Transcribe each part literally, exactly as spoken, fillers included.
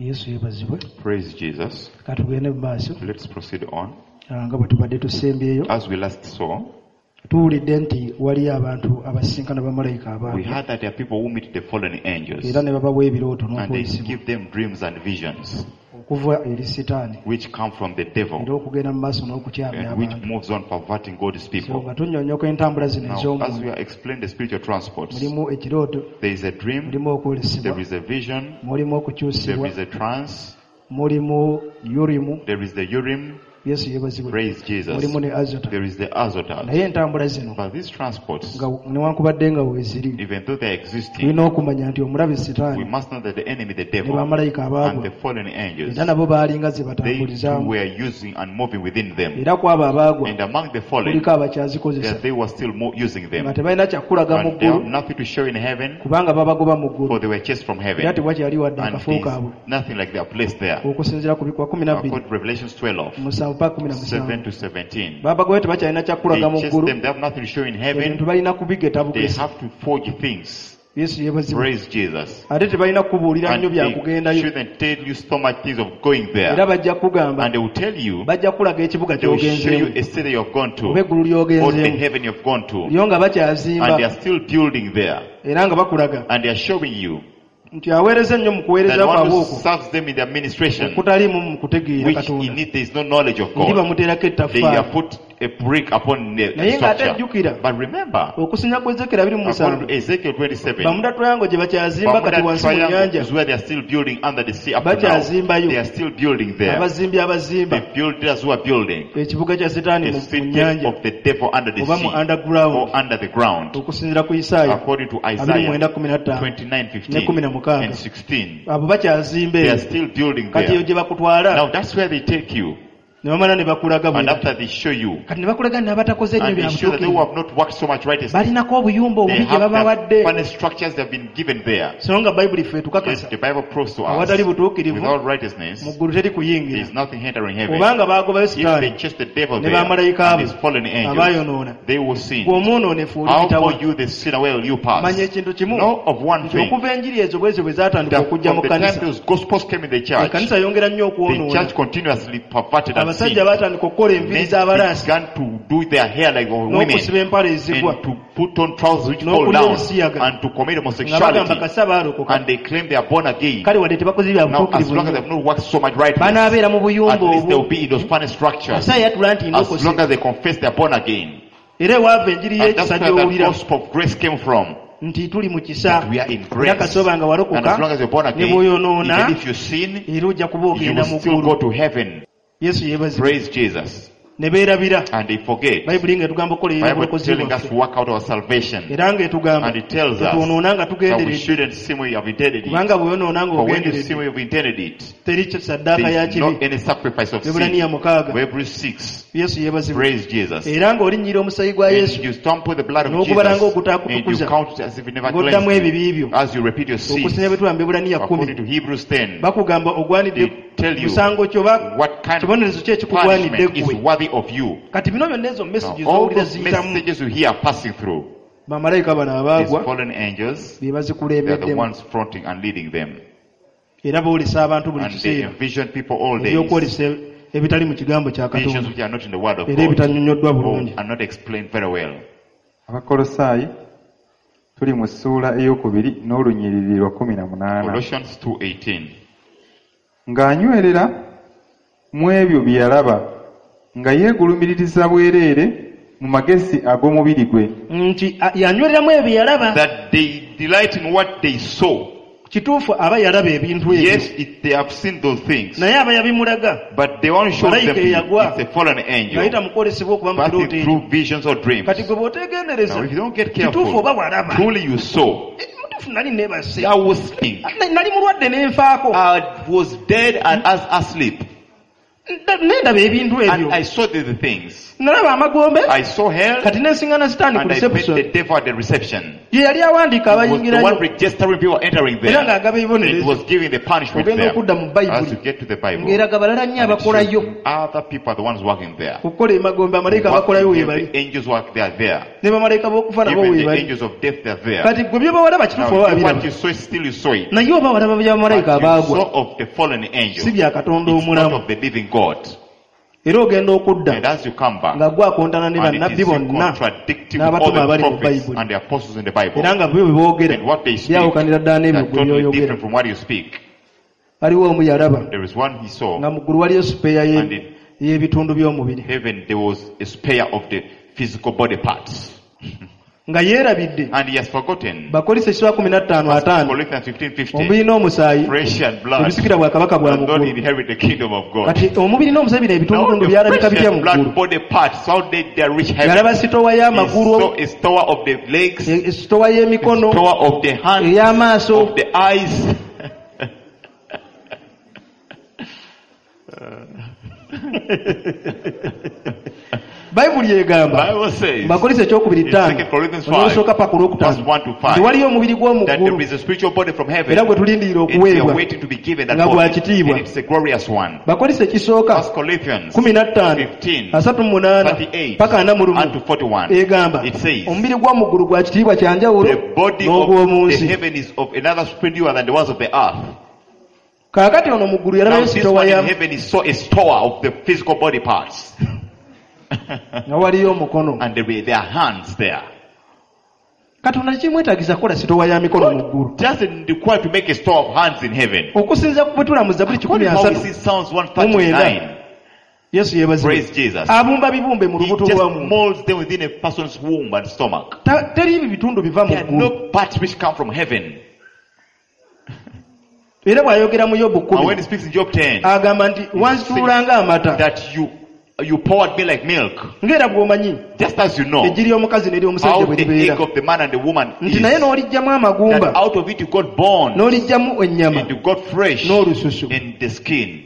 Yesu yeebazibwe. Praise Jesus. Katugende mu maaso. Let's proceed on. Ah, nga bwe tubadde tusembyeyo. As we last saw, tuwulidde nti waliyo abantu abasisinkana bamalayika we abaagwa heard that there are people who meet the fallen angels era ne babawa ebirooto and they n'okwolisibwa give them dreams and visions okuva eri sitaani which come from the era devil okugenda mu maaso n'okukyamya and which abantu. moves on perverting God's So people. nga tunnyonnyoka entambula zino Now, as ez'omwoyo, we are explaining the spiritual transports, mulimu ekirooto, there is a dream, mulimu okwolesebwa, there is a vision, mulimu there okukyusibwa, is a trance, mulimu Urimu, there is the Urim, Yesu yeebazibwe, praise Jesus, mulimu ne Azota. there is the Azotat. Naye entambula zino But these transports, nga newankubadde nga weeziri, even though they are existing, tulina okumanya nti omulabe we sitaani must know that the enemy, the ne devil, bamalayika and abaagwa the fallen angels, era nabo baalinga ze they too batambulizaamu. were using and moving within them. Era ku abo abaagwa And among the fallen, kuliko abakyazikozesa that they were still more using nga them. tebalina kyakulaga mu And they have ggulu nothing to show in heaven, kubanga babagoba mu ggulu for they were chased from era heaven. tewakyali wadde And akafo there's kaabwe nothing like their place there. okusinziira ku bikwa kumi na bbiri According to Revelations twelve, musanvu paka kumi na seven musanvu to seventeen. babagobe tebakyalina They kyakulaga mu chased ggulu them, they have nothing to show in heaven. ebintu balina kubigeta They bugesi. have to forge things. Yesu yeebazibwe. Praise Jesus. Ate tebalina kukubuulira And nnyo bya they kugendayo shouldn't tell you so much things of going era there. bajja kugamba And they will tell you, bajja kukulaga ekibuga they will show you ky'ogenzeemu a city you have gone to, oba eggulu or the ly'ogenzeemu heaven you have gone to. lyo nga And they bakyazimba are still building there. era nga bakulaga And they are showing you nti aweereza ennyo mu kuweereza that one kwabwe who okwo serves them in the administration, okutaliimu mu kutegeera which Katonda in it there is no knowledge of eri God, bamuteerako they ettaffaali have put a brick upon the naye ng'ate structure. jjukira But remember, okusinya kwa Ezekiel abiri mu according musanvu to Ezekiel twenty-seven, Bermuda Triangle gye bakyazimba kati Bermuda wansi mu Triangle nnyanja is where they are still building under the sea up to now. bakyazimbayo They are still building there. abazimbi abazimba The builders who are building ekibuga kya setaani the mu mu city nnyanja of the devil under the oba mu sea underground or under the ground, okusinziira ku Isaaya according to abiri Isaiah mwenda kumi na ttaano twenty-nine ne fifteen kumi na mukaaga and sixteen. abo bakyazimba They eyo are still building kati eyo there. gye bakutwala Now that's where they take you. ne bamala ne bakulaga And bwe after they show you, kati ne bakulaga n'abatakoze ennyo and they bya show that they who butuukirivu have not worked so much righteousness, balinako obuyumba they obubi gye have the babawadde funny structures they have been given there. so nga bayibuli ffe Yes, etukakasa the Bible proves to us, awatali butuukirivu without righteousness, mu ggulu teri there kuyingira is nothing entering heaven. kubanga baagobayo If they sitaani chase the devil ne there bamalayika and abo his fallen angels, abaayonoona they will sin. gwe omwonoonefu How oliyitawa for you the sinner, where will you manya pass? ekintu kimu Know of one nti thing, okuva enjiri ezo bwezyo bwe zaatandika that okujja from mu the time kkanisa those gospels came in the church, ekkanisa yongera nnyo the okwonoona church continuously perverted and abasajja sinned. baatandika okukola enviiri Men z'abalaasi began to do their hair like women n'okusiba empale ezigwa and to put on trousers which fall N'okulya down ebisiyaga. and to commit nga bagamba homosexuality, kasa baalokoka and they claim they are born again. kale wadde tebakoze bya Now, as butuukirivu long as they nnyo have not worked so much righteousness, banaabeera mu buyumba at least they will obwo be in those funny structures. asa yatula nti As ndokose long as they confess they are born again. era ewaava enjiri And that's y'ekisa where the gy'owulira gospel of grace came from. nti tuli mu kisa That we are in era grace. kasooba nga And walokoka as long as you're born ne again, bw'oyonoona even if you sin, era ojja kuba you ogenda will mu still ggulu go to heaven. Yesu yeebazibwe Praise Jesus. ne beerabira And they forget. bayibuli ng'etugamba okukolerera Bible obulokozi telling us bwaffe to work out our salvation. era ng'etugamba And it tells us tetwonoona nga that we tugenderedde shouldn't sin when we have intended it. kubanga bw'oyonoona For when you ng'ogenderedde sin when you have intended it, teri saddaaka there ya is not kibi any sacrifice of Ebbulaniya sin. mukaaga Hebrews six. Yesu yeebazibwe Praise Jesus. era ng'olinnyira omusaayi gwa And Yesu you stamp the blood of n'okubala Jesus and you ng'ogutaakutukuza count it as if it never ng'oddamu cleansed ebibi you. byo As you repeat your sins. okusinga bwe tulaba mu Ebbulaniya kumi According to Hebrews ten, bakugamba ogwanidde they tell you musango ki oba what kind of kibonerezo ki ekikugwanidde punishment is ggwe worthy of you. kati bino byonna ezo Now, messages all z'owulira those ziyitamu messages you hear passing through, bamalayika bano these abaagwa fallen angels, be they are the bazikulembeddemu ones fronting and leading them. era boolesa abantu buli And they kiseera envision people all days, ebyokwolesa ebitali mu kigambo kya visions Katonda which are not in the word of era God ebitannyonnyoddwa or bulungi are not explained very well. Abakolosaayi tuli mu ssuula ey'okubiri n'olunyiriri lwa kumi na munaana. Colossians two eighteen. Ng'anywerera mu ebyo bye yalaba, nga yeegulumiririza bwereere mu magezi ag'omubiri gwe. Nti a- yanywereramu ebyo bye yalaba That they delight in what they saw. kituufu aba yalaba ebintu ebyo Yes, it, they have seen those things. naye aba yabimulaga But they won't show them Malayika to you. eyagwa. It's a fallen angel. ng'ayita mu kwolesebwa okuba mu Passing kirooto ekyo through visions or dreams. kati gwe bw'oteegendereza Now, if you don't get kituufu careful, oba walaba truly you saw. Eh, mutuufu nali neebase I was sleeping. Na- nali mulwadde ne nfaako I was dead and as asleep. Nendaba ebintu And ebyo I saw the, the things. nalaba amagombe I saw hell kati nensingana sitaani ku and I met reception the devil at the reception. ye yali awandiika He was the one abayingirayo registering people entering era there. ng'agaba It ebibonerezo was giving the punishment ogenda there. okudda mu As bayibuli you get to the Bible, ng'eraga balala nnyo and it abakolayo shows other people are the ones working there. okukola emagombe amalayika abakolayo Working weebali there, the angels work, they are there. ne bamalayika b'okufa nabo Even the weebali angels of death, they are there. kati gwe byobawalaba kituufu Now, oba you- what wabiraba you saw, still you saw it. naye oba walaba bya bamalayika But you abaagwa saw of the fallen angel. si bya katonda It's not omulamu of the living God. era ogenda okudda And as you come back, nga gwe akontana ne and it bannabbi is you bonna contradicting with all n'abatume the abali mu prophets bayibuli and the apostles in the Bible. era nga byo bye boogera And what they speak, byawukanira ddala they n'ebyo are gwe totally byoyogera different from what you speak. waliwo omu yalaba There is one he saw. nga mu ggulu waliyo sipeeya ye- And in y'ebitundu by'omubiri heaven, there was a spare of the physical body parts. nga yeerabidde And he has forgotten. bakolisa ekiswa kumi na ttaano ataano Corinthians fifteen fifty. omubiri n'omusaayi Flesh and blood ebisikira bwakabaka bwa does mu not ggulu inherit the kingdom of God. kati omubiri n'omusaayi bino Now ebitundutundu the byalabika flesh bitya and mu blood ggulu body parts, how did they reach heaven? yalaba sitowa He y'amagulu saw a store of the legs, e- sitowa y'emikono store of the hands, ey'amaaso of the eyes. bayibuli egamba Bible says bakolisa ekyokubiri in ttaano Second Corinthians five, olusooka paka olwokutaano verse one to five, nti waliyo omubiri gw'omu that ggulu there is a spiritual body from heaven. era gwe tulindirira And we are okuweebwa waiting to be given that nga gwa body. kitiibwa. And it's a glorious one. bakolisa ekisooka First Corinthians kumi na ttaano fifteen, asatu mu munaana thirty-eight, paka ana mu and to lumu forty-one. egamba It says, omubiri gw'omu ggulu gwa kitiibwa kya njawulo the body of n'ogw'omu the nsi heaven is of another splendor than the ones of the earth. kaakati ono mu ggulu Now yalabayo this sitowa one in ya heaven is so a store of the physical body parts. nga waliyo omukono And there were their hands there. katonda tekimwetaagisa kukola sitowa ya mikono mu ggulu Doesn't require to make a store of hands in heaven. okusinziira ku bwe tula mu zabuli kikumi According to how we asatu see Psalms one thirty-nine. yesu yeebazibwe Praise Jesus. abumba bibumbe mu He lubuto just lwa muntu molds them within a person's womb and stomach. Ta- teri bitundu biva mu There are ggulu no parts which come from heaven. era bw'ayogera mu yobu And when kkumi he speaks in Job ten, agamba nti wanzituula ng'amata that you you poured me like milk, ng'era bw'omanyi just as you know eggi ly'omukazi n'ery'omusajja how bwe the libeera egg of the man and the woman nti is, naye n'oliggyamu that amagumba out of it you got bone n'oliggyamu ennyama and you got fresh n'olususu in the skin.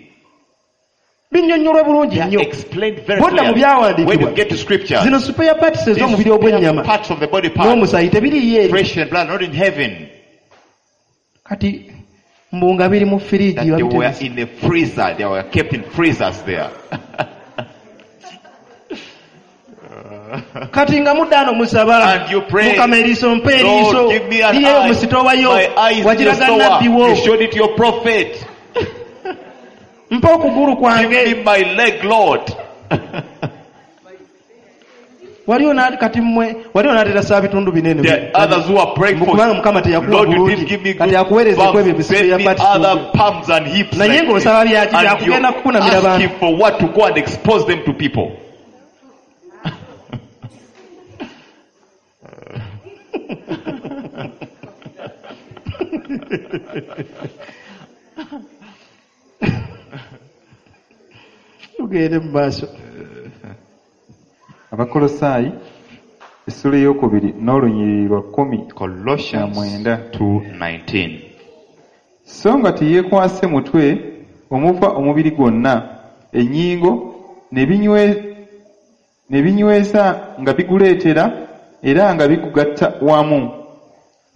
binnyonnyolwa bulungi They are nnyo explained very Bw'odda mu clearly. byawandiikibwa, When you get to scripture, zino spare parts these ez'omubiri ogw'ennyama parts of the body parts, n'omusaayi tebiriiyo eri flesh and blood, not in heaven, kati mbu nga biri mu firiigi that they were babiterese. in a freezer, they were kept in freezers there. kati nga mudda ano musaba And you pray, mukama eriiso mpa eriiso Lord, give me an liyeyo eye. mu sitoowa yo My eyes in your wagiraga store. nabbi wo You showed it to your prophet. mpa okugulu Give kwange me my leg, Lord. waliwo na- kati mmwe waliwo n'atera saa bitundu binene There are others who are praying for. kubanga mukama teyakuwa Lord, you bulungi didn't give me kati good akuweereza ku ebyo bumps. ebisibe Send bya me parts other palms and hips. Naye like ng'osaba this. byaki? And Byakugenda you're kukunamira bantu. asking for what to go and expose them to people. tugende mu maaso Abakolosaayi essula ey'okubiri n'olunyiriri lwa kkumi na Colossians mwenda two nineteen. so nga teyeekwase mutwe omuva omubiri gwonna ennyingo ne binywe- ne binyweza nga biguleetera era nga bigugatta wamu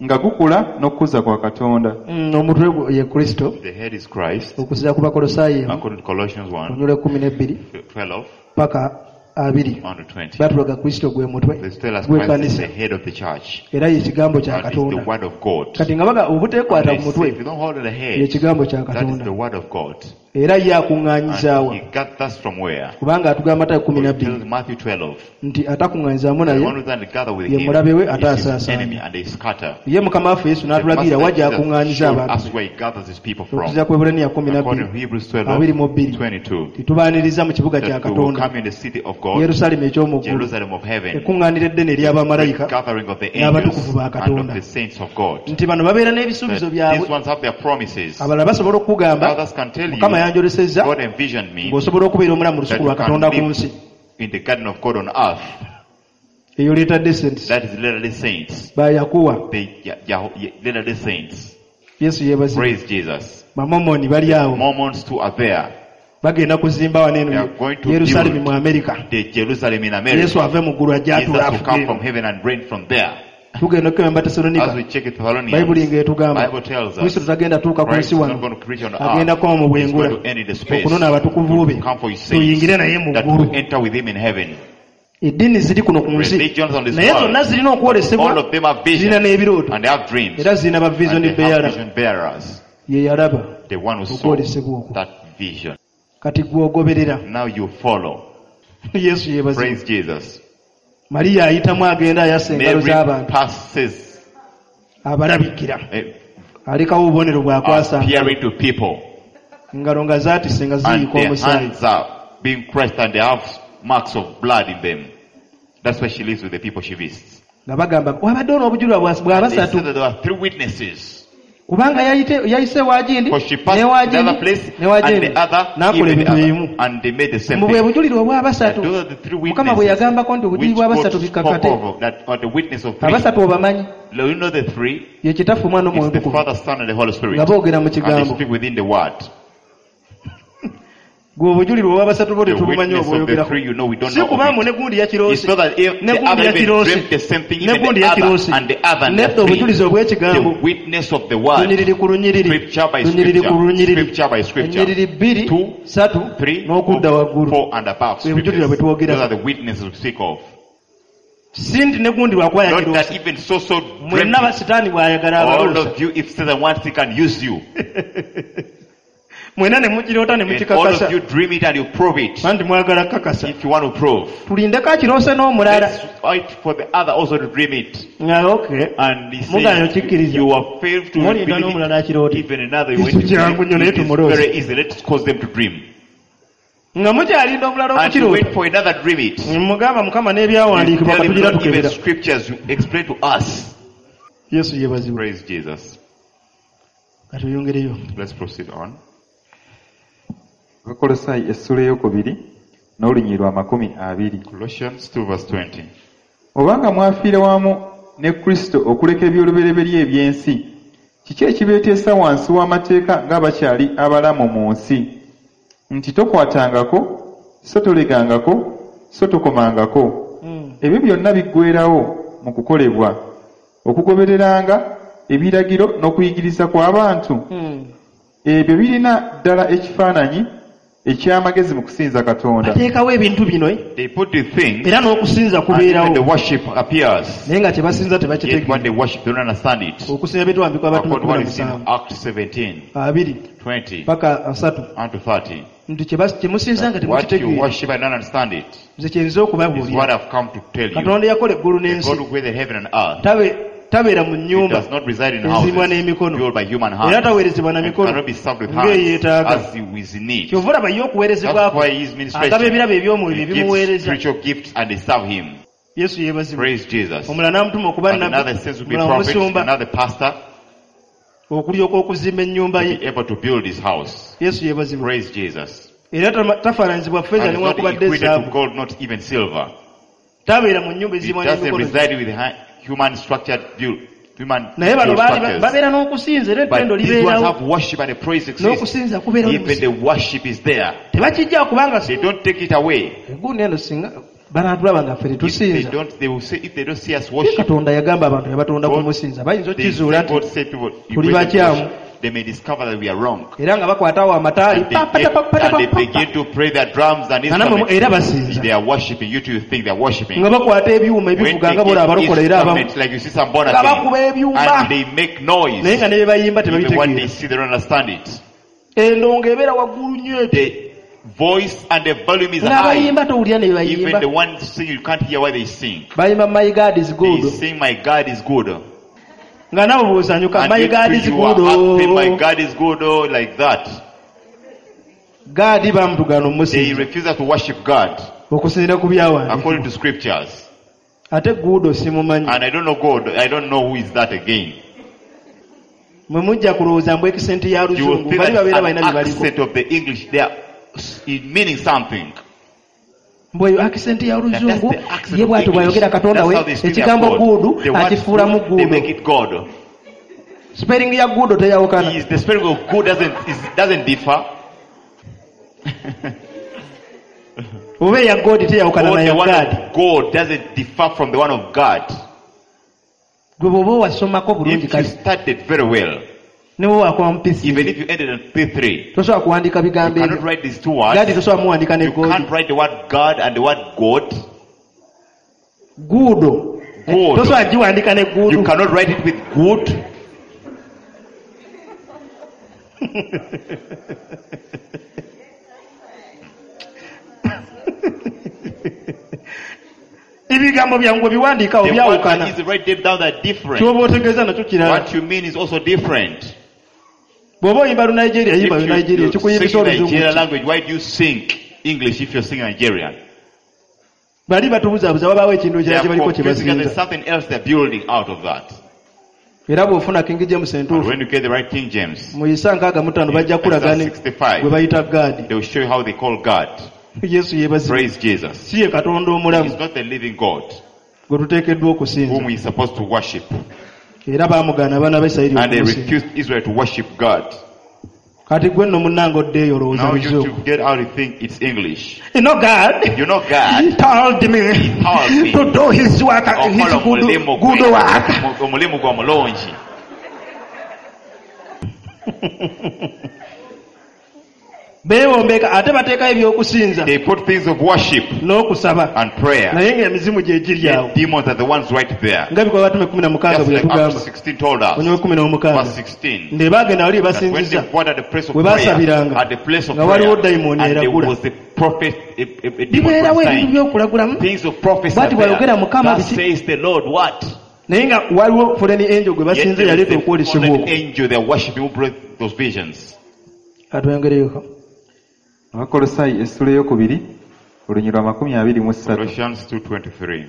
nga gukula n'okukuza kwa Katonda Mm, omutwe gwe ye kristo The head is Christ. okusinziira ku bakolosaayi emu According to Colossians one olunyiriri ekkumi n'ebbiri twelve paka abiri one to twenty. batulaga kristo gwe mutwe They tell us Christ is gw'ekkanisa the head of the church. era ye kigambo kya And it's the katonda word of God. kati nga baga obuteekwata They ku say, mutwe if you don't hold the ye head, kigambo kya that is katonda the word of God. era ye akuŋŋaanyizaawa And he gathers from where? kubanga atugamba matayo kumi na He tells bbiri Matthew twelve. nti atakuŋŋaanyizaamu The naye one who doesn't gather with ye him mulabe we ate is his asaasaanya. enemy and they scatter. ye mukama waffe yesu The n'atulagira Master wa gy'akuŋŋaanyiza Jesus showed abantu us where he gathers his people from. okusinziira ku Ebbulaniya kumi na According to bbiri Hebrews twelve, abiri mu bbiri twenty-two, titubaaniriza mu kibuga kya that we will katonda come in the city of God, yerusaalemi eky'omu ggulu Jerusalem of heaven, ekkuŋŋaaniro eddene ery'abamalayika gathering of the angels n'abatukuvu ba and of Katonda. the saints of God. nti bano babeera That n'ebisuubizo these byabwe ones have their promises. abalala basobola okukugamba Others can tell you, mukama yanjolesezza God envisioned me ng'osobola okubeera omulamu mu that lusuku you lwa can katonda ku live nsi in the garden of God on earth. eyo leetadde saints That is literally saints. ba yakuwa They, yeah, yeah, literally saints. yesu yeebazibwe Praise Jesus. bamomoni bali awo Mormons too are there. Bagenda kuzimba wano They eno are going to Yerusaalemi build mu Amerika. the Jerusalem in America. Yesu ave mu ggulu ajja Jesus atuula will come from afuge. heaven and reign from there. Tugenda okukema As Batesalonika. we check it, Thessalonians, Bayibuli ng'etugamba Bible tells us Kristo tagenda tuuka ku Christ nsi is wano not going to preach on agenda earth. koma mu He's bwengula going to end in the space. okunona abatukuvu be To come for his saints tuyingire naye mu that ggulu. we enter with him in heaven. Eddiini ziri kuno ku nsi Religions on this naye world, zonna zirina okwolesebwa all of them have zirina visions n'ebirooto and they have dreams era zirina ba vision and they have bearer vision bearers. ye yalaba The one who saw okwolesebwa okwo that vision. kati gw'ogoberera Now you follow. Yesu yeebazibwe. Praise Jesus. Mariya ayitamu agenda ayasa engalo Mary z'abantu passes abalabikira eh, alekawo obubonero bw'akwasa appearing to people engalo nga zaatise nga and ziyiika their omusaayi hands are being pressed and they have marks of blood in them. That's why she lives with the people she visits. nga bagamba wabaddewo n'obujulirwa bwa bwa And they basatu said that there were three witnesses. kubanga yayite- yayise waagindi Because she passed ne another place waagindi ne and waagindi the other, n'akola even ebintu the other, ebimu and they made the same mu bwe thing. bujulirwa obwa That basatu those are the three mukama bwe witnesses yagambako nti which obujulirwa God basatu spoke bikakate of, that are the witness of three. abasatu obamanyi You know the three? ye kitaffe omwana It's omwoyo the omutukuvu Father, Son, and the Holy Spirit. nga boogera mu And they kigambo speak within the word. gwe obujulirwa obwa basatu bo The tetubumanyi witness of the obwoyogerako three, you know, we don't si know of kubaamu it. ne gundi It's yakiroose not that if ne the gundi other even yakiroose dreamt the same thing, ne even gundi the other, yakiroose and the other, and nedda the obujulizi three. obw'ekigambo The witness of the word. lunyiriri ku lunyiriri Scripture by lunyiriri ku scripture. lunyiriri Scripture by scripture. ennyiriri bbiri Two, satu Three, n'okudda waggulu four, and above. Bwe bujulirwa Scriptures. bwe twogerako. Those are the witnesses we speak of. si nti ne gundi lwakuba Not that yakiroose even so so dreamt mwenna it. basitaani bw'ayagala All abaloosa of you, if Satan wants, he can use you. mwenna ne mukiroota ne And all mukikakasa of you dream it and you prove it. anti mwagala kukakasa If you want to prove. tulindeko akiroose n'omulala Let's wait for the other also to dream it. nga okay And he Mugaana says, okikkiriza. you are failed to Mulinda believe n'omulala it. akiroota Even another, you Ekyo went to kyangu nnyo naye believe it. It is tumuloose. very easy. Let's cause them to dream. nga mukyalinda omulala And you wait okukiroota for another dream it. mugamba mukama You n'ebyawandiikibwa tell him katugira not even tukebera scriptures you explain to us. yesu yeebazibwe Praise Jesus. katweyongereyo Let's proceed on. Abakolosayi essula eyokubiri n'olunyiriri lwa makumi abiri. Colossians two verse twenty. Obanga mwafiira wamu ne Kristo okuleka eby'olubereberye eby'ensi, kiki ekibeeteesa wansi w'amateeka ng'abakyali abalamu mu nsi? Nti tokwatangako, so tolegangako, so tokomangako. Ebyo byonna biggweerawo mu kukolebwa, okugobereranga ebiragiro n'okuyigiriza kw'abantu. Ebyo birina ddala ekifaananyi eky'amagezi mu kusinza Katonda. bateekawo ebintu bino eh? They put the things era n'okusinza and even the kubeerawo worship appears. naye nga kye basinza Yet what tebakitegeera they worship, they don't understand it. okusinza byetwambikwa abatume According to what kumi na is in musanvu Acts seventeen, abiri twenty, paka asatu and to thirty. nti kye bas- kye musinza nga What you temukitegeera worship and don't understand it nze kye nze is what okubabuulira I've come to tell you. katonda yakola eggulu The n'ensi God who created heaven and earth, Tabe- tabeera mu He nnyumba does not reside in ezimbwa houses n'emikono built by human era hands taweerezebwa na and mikono cannot be served with hands ng'eyeetaaga as he is in need. kyova olaba ye That's okuweerezebwako why his agaba ministration, ebirabo eby'omwoyo he bye gives bimuweereza spiritual gifts and they serve him. yesu yeebazibwe Praise Jesus. omulala n'amutuma okuba And nabbi another sense will be omulala prophet, omusumba another pastor okulyoka okuzimba ennyumba to ye be able to build his house. yesu yeebazibwe Praise Jesus. era tama- tafaananyizibwa ffeeza And it's not newankubadde equated to ezaabu gold, not even silver. tabeera mu nnyumba It ezimbwa doesn't n'emikono reside with hu- human structured build, human naye bano built baali structures. babeera n'okusinza era But ettendo these ones libeerawo have worship and the praise exists. n'okusinza kubeerawo Even the worship is there. tebakijja kubanga They don't take it away. egundi eno singa banaatulaba nga ffe If they tetusinza don't, they will say, if they don't see us Ye worship, katonda yagamba abantu yabatonda God- kumusinza bayinza they okukizuula say, nti God said people, you tuli raise them to bakyamu. worship. They may discover that we are wrong. era nga bakwata awo amataali And they, get, and they begin to play their drums and nga nammwe instruments. era basinza They are worshiping. You too, you think they are worshiping. nga bakwata ebyuma When ebivuga they nga bola get abalokola era abamu instruments, like you see some born nga bakuba again, ebyuma and they make noise. naye nga ne bye bayimba Even what they tebabitegeera see, they don't understand it. endongo ebeera waggulu nnyo etyo The voice and the volume is high. ng'abayimba towulira ne bye Even bayimba the ones sing, you can't hear why they sing. bayimba my god is They good sing, "My God is good," nga nabo bw'osanyuka and my you, god is you good are happy, "My oh. God is good," oh, like that. gaadi bamutugaana They omusinza refuse to worship God okusinziira ku according byawandiikibwa to scriptures. ate guudo simumanyi And I don't know God. I don't know who is that again. mwe mujja kulowooza mbu ekisenti ya You will luzungu think bali that babeera it's balina an bye baliko accent of the English. They are it meaning something. mbu eyo akisenti ya That- that's luzungu the accent ye of bw'atyo English. bw'ayogera katonda That's we how they speak their ekigambo God. guudu The word akifuulamu good, they guudo make it God. sipeeringi ya guudo teyawukana Is the spirit of good doesn't is, doesn't differ. Oba eya God teyawukana Or na the ya one God. of God doesn't differ from the one of God. Gwe bw'oba wasomako bulungi If you kale studied very well, ne bwe wakoma mu P three, even if you ended on P three, tosobola kuwandiika you bigambo cannot ebyo. write these two God words. tosobola muwandiika ne You God. can't write the word God and the word God. Guudo. Guudo. Tosobola giwandiika ne guudo. You cannot write it with good. Ebigambo byangu biwandiika The byawukana. words that is write them down are different. Ky'oba otegeeza nakyo kirala. What you mean is also different. Bw'oba oyimba Lunigeria, If yimba you, Lunigeria, you kikuyimbisa sing oluzungu. Nigerian language, why do you sing English if you're singing Nigerian? Bali batubuzaabuza wabaawo ekintu They ekirala are kye baliko kye confusing and basinza. there's something else they're building out of that. Era bw'ofuna King James And entuufu, when you get the right King James, mu Isa nkaaga mu ttaano bajja kulaga ne Isaiah sixty-five, gwe bayita God. they will show you how they call God. Yesu yeebazibwe. Praise Jesus. Si ye Katonda omulamu He's not the living God gwe tuteekeddwa okusinza. whom we're supposed to worship. Era baamugaana abaana ba Isirayiri And they okumusinza. refused Israel to worship God. Kati gwe nno munnange oddeeyo olowooza Now you luzungu. to get out and think it's English. You know God, You know God. He told me He told me. to do his work, his Okola good, omulimu gwe. good work. Omulimu gwe omulungi. Beewombeka ate bateekayo ebyokusinza They put things of worship n'okusaba and prayer. naye ng'emizimu gye giri Yet awo. demons are the ones right there. Nga bikola Abatume kumi na mukaaga Just bwe like Acts yatugamba. sixteen told us. Onywe kumi n'omukaaga. Verse sixteen. Nde baagenda wali That when they basinziza brought at the place of we prayer, baasabiranga, at the place of nga waliwo prayer, dayimooni and there eragula. was a prophet, a, a, a demon Bibeerawo ebintu prophesying. by'okulagulamu. Things of prophecy Bw'ati are there. bw'ayogera Mukama Thus biki- says the Lord, what? Naye nga waliwo fallen angel gwe Yet basinze there is yaleeta the okwolesebwa fallen okwo. angel they are worshiping who brought those visions. Katwongereyoko. Abakolossaayi essula ey'okubiri olunyiriri lwa makumi abiri mu ssatu. Colossians two twenty-three.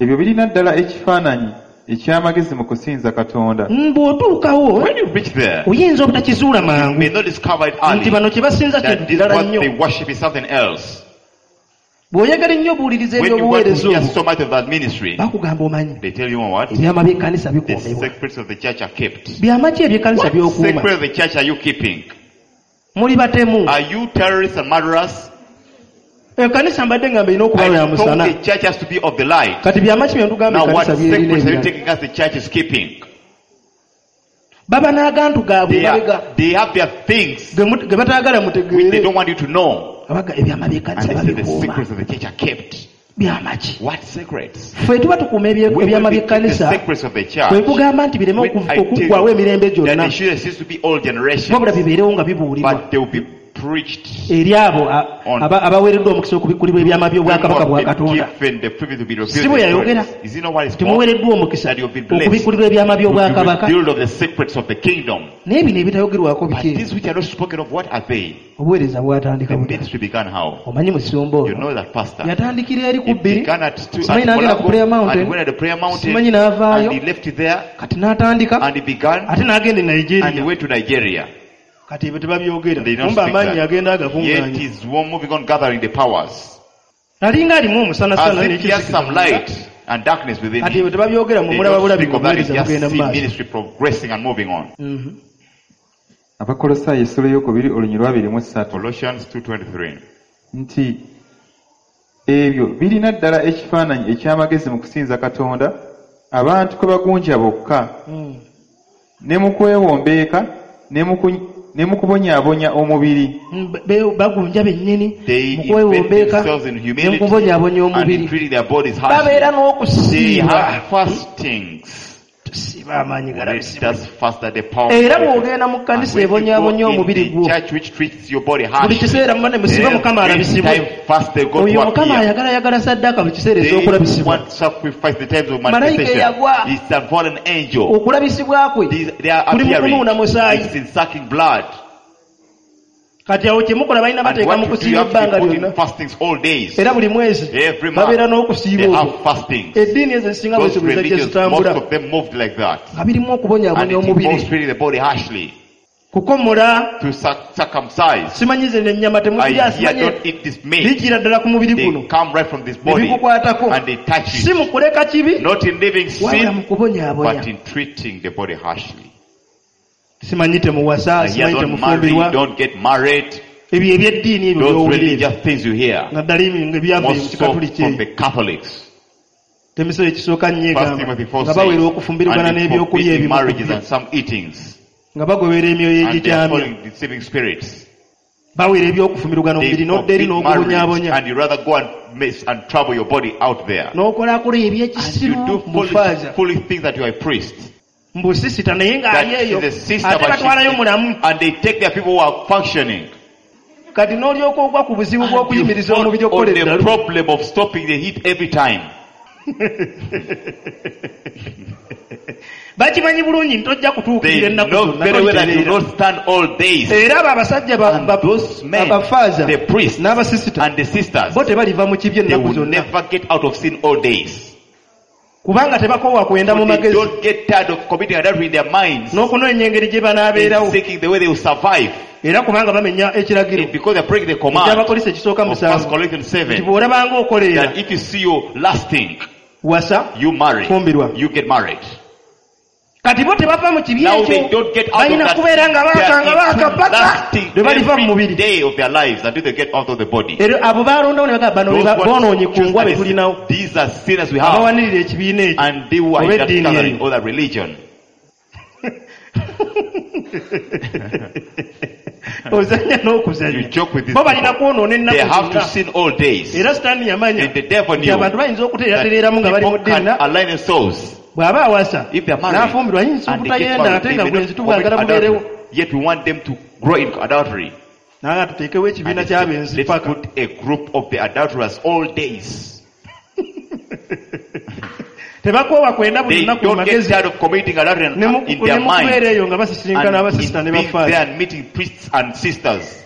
Ebyo birina ddala ekifaananyi eky'amagezi mu kusinza Katonda. Mm, bw'otuukawo When you reach there, oyinza obutakizuula you mangu may not discover it nti early bano kye basinza that kintu this kirala what nnyo. they worship is something else. Bw'oyagala ennyo obuwuliriza When you want to eby'obuweereza hear obwo so much of that ministry, bakugamba omanyi they tell you what? ebyama by'ekkanisa The bikuumibwa. secrets of the church are kept. Byama ki eby'ekkanisa What by'okuuma? secret of the church are you keeping? Muli batemu. Are you terrorists and murderers? Ekkanisa mbadde ngamba erina okuba I ya thought musana. the church has to be of the light. Kati byama ki bye ntugamba Now what ekkanisa byerina secrets are you ebirala? taking us the church is keeping? Baba n'agantu gaabwe They, mabega are, they have their things ge mut- ge bataagala which they mutegeere. don't want you to know. Abaga ebyama And by'ekkanisa they say the babikuuma. secrets of the church are kept. Byama ki? What secrets? Ffe tuba tukuuma ebye- We ebyama will keep the by'ekkanisa secrets of the church. kwe kugamba nti bireme When oku- I tell okuggwawo emirembe you that gyonna they should cease to be all generations, wabula bibeerewo nga bibuulirwa but they will be preached. eri abo a- On. aba- abaweereddwa omukisa okubikkulibwa ebyama by'obwakabaka bwa People have been Katonda. given the privilege to be revealed Si bwe the yayogera. secrets. Is it not what is called? Timuweereddwa omukisa That you'll be blessed. okubikkulirwa ebyama To be by'obwakabaka. revealed of the secrets of the kingdom. Naye bino ebitayogerwako But biki? these which are not spoken of, what are they? Obuweereza bwatandika The butya? ministry began how? Omanyi musumba You ono know that pastor. yatandikira eri ku It bbiri began at two, simanyi at n'agenda ku Mulago, prayer and he mountain went at the prayer mountain, simanyi n'avaayo and he left it there, kati n'atandika and he began, ate n'agenda e and he Nigeria went to Nigeria. kati ebyo tebabyogera They don't kumba speak amaanyi that. agenda Yet agakuŋŋaanya he's moving on gathering the powers. alinga alimu omusanasana As if he has some light and darkness within kati him. ebyo tebabyogera They mumulaba don't bulabi speak of that. ng'obuweereza You just bugenda mu see maaso ministry progressing and moving on. Mhm. Abakolossaayi essula ey'okubiri olunyiriri lwa abiri mu ssatu. Colossians two twenty-three. Nti ebyo birina ddala ekifaananyi eky'amagezi mu kusinza Katonda abantu kwe bagunja bokka Mm. ne mu kwewombeeka ne mu ku- ne mu kubonyaabonya omubiri. Mm, be- bagunja bennyini They mu invest kwewombeeka themselves in ne mu humility kubonyaabonya and in omubiri treating their bodies harshly. babeera They n'okusiiba have fastings. tusiiba amaanyi Let galabisibwa us fast at the power. era of God. bw'ogenda mu And kkanisa when you go ebonyaabonya in omubiri the gwo church which treats your body buli harshly, kiseera muba ne musiba mukama every alabisibwe time fast they go oyo to mukama appear. ayagala ayagala saddaaka buli kiseera They ez'okulabisibwa want sacrifice the times of Malayika manifestation. eyagwa. It's a fallen angel. okulabisibwa kwe These, they are kuli mu appearing. kunuuna musaayi It's in sucking blood. kati awo kye mukola balina And bateeka what mu you do, you kusiiba have to ebbanga be put in lyonna fastings all days. era buli mwezi Every month, babeera n'okusiiba they okwo have fastings. eddiini ezo ezisinga Those bwezi bwe zajja religions, most zitambula of them moved like that. nga birimu And okubonyaabonya it involves omubiri treating the body harshly. kukomola To circ- circumcise. simanyi ze ennyama I temuzirya hear, simanyi don't eat this meat. bijjira ddala ku mubiri They guno come right from this ne body bikukwatako and they touch si it. mu kuleka kibi Not in living wabula mu sin, kubonyaabonya but in treating the body harshly. simanyi temuwasa I hear, simanyi don't marry, temufumbirwa don't get married. Ebyo eby'eddiini ebyo Those by'owulira ebyo. religious things you hear, Naddala ebyo ebyava mu most so kikatuliki from eyo. the Catholics. Temiso ekisooka nnyo First egamba Timothy four nga bawera says, okufumbirigana and they n'ebyokulya forbid ebimu ku marriages byo. and some eatings, Nga bagobera emyoyo and they are egikyamya. following deceiving spirits. Bawera ebyokufumbirigana They omubiri n'odda eri forbid marriage, n'ogubonyaabonya. and you rather go and mess and trouble your body out there. N'okolakola And you ebyekisiru do mu foolish, faaza. foolish things that you are a priest. Mbu sisita naye That ng'ali eyo is a sister, ate but batwalayo she, mulamu. and they take their people who are functioning. Kati n'olyoka ogwa ku buzibu And you bw'okuyimiriza fall omubiri okukola on the eddalu. problem of stopping the heat every time. Bakimanyi bulungi nti tojja kutuukirira They ennaku know zonna very well that you tolitereera. not stand all days. Era abo abasajja ba- And ba- those men, abafaaza the priests n'abasisita and the sisters, bo tebaliva mu kibi they ennaku will zonna. never get out of sin all days. Kubanga tebakoowa kwenda mu They magezi don't get tired of committing adultery in their minds, n'okunoonya engeri gye banaabeerawo. in seeking the way they will survive. Era kubanga bamenya ekiragiro It's because they break the command eky'Abakolinso ekisooka of First musanvu Corinthians nti seven bw'olabanga okoleera that if you see you lusting, wasa you marry, fumbirwa. you get married. Kati bo tebava mu kibi Now they ekyo don't get out of balina that. kubeera nga They baaka nga are baaka into paka lusting lwe baliva mu every mubiri. day of their lives until they get out of the body. Era abo baalondawo ne bagamba bano Those be ba- ones boonoonye ku choose ngwa be and tulinawo These are sinners we have, abawanirira ekibiina ekyo and they who are oba in that eddiini gathering eyo. or that religion. Ozannya n'okuzannya. You joke with these Bo balina people. kwonoona They ennaku have to zonna. sin all days. Era Sitaani yamanya And the devil nti knew abantu bayinza that okuteeratereeramu nga bali mu people ddiini can align themselves. bw'aba awasa If they are married n'afumbirwa ayinza and they get obutayenda married, ate they nga may bwenzi not commit tubwagala bubeerewo. adultery. Yet we want them to grow in adultery. Naye tuteekewo And ekibiina they said, ky'abenzi let's paka. put a group of the adulterers all days. Tebakoowa kwenda buli They lunaku mu don't get magezi tired of committing adultery ne mu- in their ne mu kubeera mind eyo nga basisinkana abasisita and ne in being bafaaza. there and meeting priests and sisters.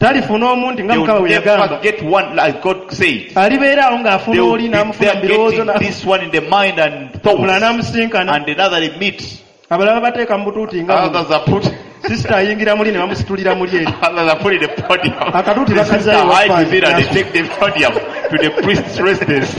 Talifuna omu nti nga They Mukama will bwe never yagamba get one like God said. alibeera awo ng'afuna They will oli be n'amufuna there mu birowoozo getting na- this one in the mind and omulala thoughts, n'amusinkana and another they meet. abalala bateeka mu butuuti nga buno. Others are put, Sisita ayingira muli ne bamusitulira muli eri. others are put in the podium. Akatuuti The sister bakazaayo hides wafaanyi. it and they take the podium to the priest's residence.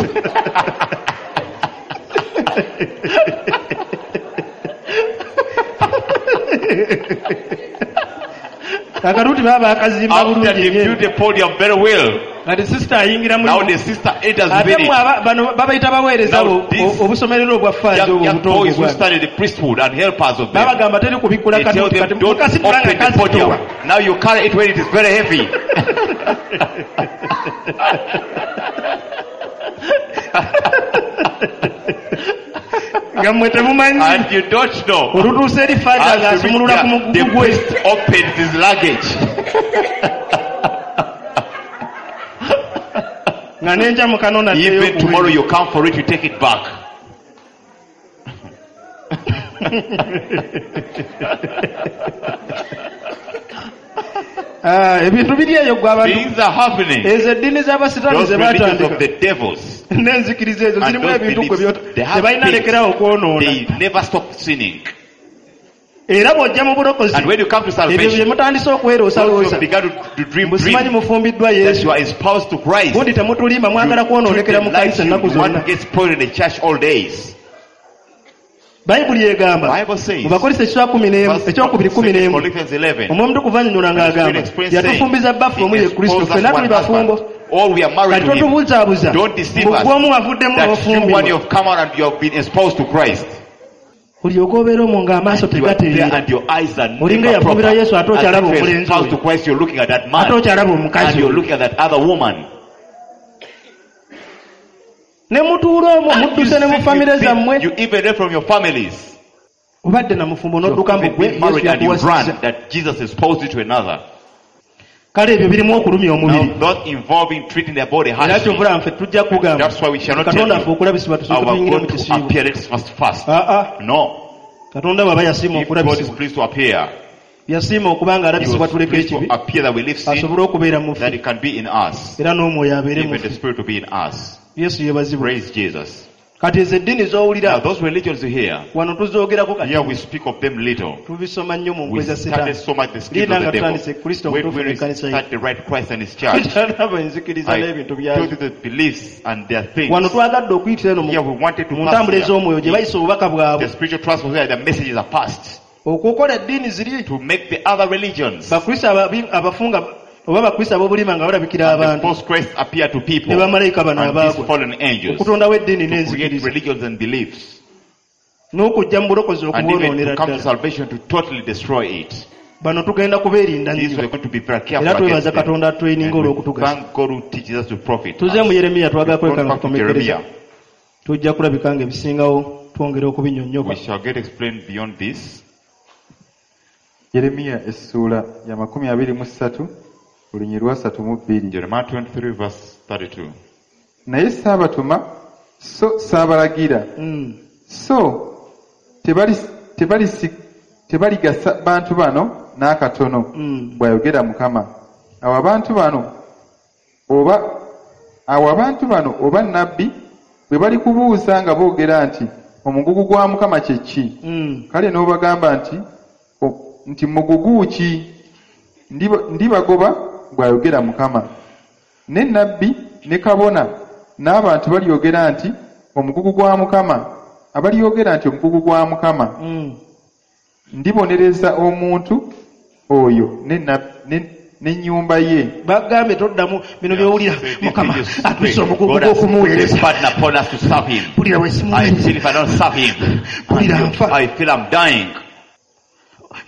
Akatuuti baba bakazimba After bulungi they nnyo. built the podium very well, Kati sisita ayingira now muli the sister enters ate within mmwe it. aba- bano babayita baweereza Now bo- these o- obusomerero obwa faaza Young, obwo young obuto boys who obwo study the priesthood and helpers of them. babagamba teri kubikkula They tell katuuti them, kati don't mukasitula nga open the podium. kazitowa. Now you carry it when it is very heavy. Nga mmwe temumanyi And you don't know. olutuuse eri faaza As you reach ng'asumulula ku there, mugugu the gwe priest opens his luggage. nga n'enkya mukano Even tomorrow you come for it, you take it back. ebintu biri eyo gwe abantu Things are happening. ezo eddiini z'abasitaani Those ze religions of baatandika the devils, n'enzikiriza ezo and zirimu those ebintu gwe beliefs, byota they have tebalina things. lekerawo okwonoona They never stop sinning. era bw'ojja mu bulokozi And when you come to ebyo bye salvation, mutandise those who okweroosaloosa began to, to dream mbusimanyi dreams mufumbiddwa that Yesu you are espoused to Christ. gundi temutulimba mwagala You kwonoonekera treat mu them like kanisa you ennaku want zonna to get spoiled in the church all days. Bayibuli egamba Bible says, mu Bakolinso ekiswa kumi n'emu First ekyokubiri kumi Second n'emu Corinthians eleven, omwoyo omutukuvu annyonnyola and the ng'agamba Spirit explains saying, yatufumbiza bbaffe omu He ye Kristo espoused us ffenna one tuli bafumbo husband. All we are married kati to him. totubuuzaabuza Don't deceive mbu us gwe omu wavuddemu that you n'ofumbirwa one you have come out and you have been espoused to Christ. olyoke obeera omwo ng'amaaso You are there tegatereera and your eyes are Olinga never proper. eyafumbira Yesu ate As okyalaba if you're omulenzi espoused oyo. to Christ, you're looking at that ate man okyalaba and omukazi you're oyo. looking at that other woman. ne mutuula omwo And you mudduse ne mu sit famire with zammwe them, you even left from your families. obadde na mufumbo You've n'odduka mbu even gwe been married Yesu and you run yakuwasizza that Jesus espoused you to another. kale ebyo birimu okulumya omubiri Now, not involving treating their body era harshly. kyovula nffe tujja kugamba That's why we shall not tell katonda affe you okulabisibwa tusooke our tuyingire mu God to kisiibo appear. Let's first fast. aa No. katonda bw'aba yasiima If God is okulabisibwa pleased to appear, yasiima okuba nga He alabisibwa was tuleke pleased to ekibi appear that we leave sin, asobole okubeera mu that ffe it can be in us. era n'omwoyo abeere mu Even the ffe Spirit to be in us. Yesu yeebazibwe Praise Jesus. kati ezo eddiini Now, z'owulira those religions you hear, wano tuzoogerako kati here we speak of them little. tubisoma nnyo mu We nkwe za study setaani so much the schemes Linda of the nga devil. tutandise Kristo When omutuufu we n'ekkanisa ye start the right Christ and his church, tukyalaba enzikiriza I n'ebintu told byazo you the beliefs and their things. wano twagadde okuyitira eno mu Here we wanted to mu pass ntambula here. ez'omwoyo gye bayisa obubaka bwabwe The spiritual transfer where the messages are passed. Okukola eddiini ziri To make the other religions bakristo ababi- abafunga oba bakristo ab'obulima nga balabikira and the abantu false Christ appear to people ne bamalayika bano and these abaagwa fallen angels to okutondawo eddiini create n'enzikiriza religions and beliefs n'okujja mu bulokozi and even okubwonoonera to come to ddala. salvation to totally destroy it. Bano tugenda kubeerinda These nnyo we are going to be very careful era twebaza against them. Katonda atweninga And we olw'okutugasa. thank God who teaches us to profit. Tuze mu Yeremiya twagala We've kwekanga gone back to kukomekereza. Jeremiah. Tujja kulabika nga ebisingawo twongera okubinyonnyoka. We shall get explained beyond this. Yeremiya essuula ya makumi abiri mu ssatu olunyi lwa ssatu mu bbiri. Jeremiah twenty-three verse thirty-two. Naye saabatuma so saabalagira Mm. so tebali tebalisi tebaligasa bantu bano n'akatono Mm. bw'ayogera Mukama. Awo abantu bano oba awo abantu bano oba nnabbi bwe balikubuuza nga boogera nti omugugu gwa Mukama kye ki? Mm. Kale n'obagamba nti o- nti mugugu ki? Ndiba- Ndibagoba bw'ayogera Mukama. Ne nnabbi ne kabona n'abantu balyogera nti omugugu gwa Mukama abalyogera nti omugugu gwa Mukama Mm. ndibonereza omuntu oyo ne nab- ne- n'ennyumba ye. Bagambye toddamu bino by'owulira Say, this Mukama is just atuuse pray. omugugu God has put gw'okumuweereza. a burden upon us to serve him. Mpulira bwe I simuweereza. feel if I don't serve him, Mpulira nfa. I feel I'm dying.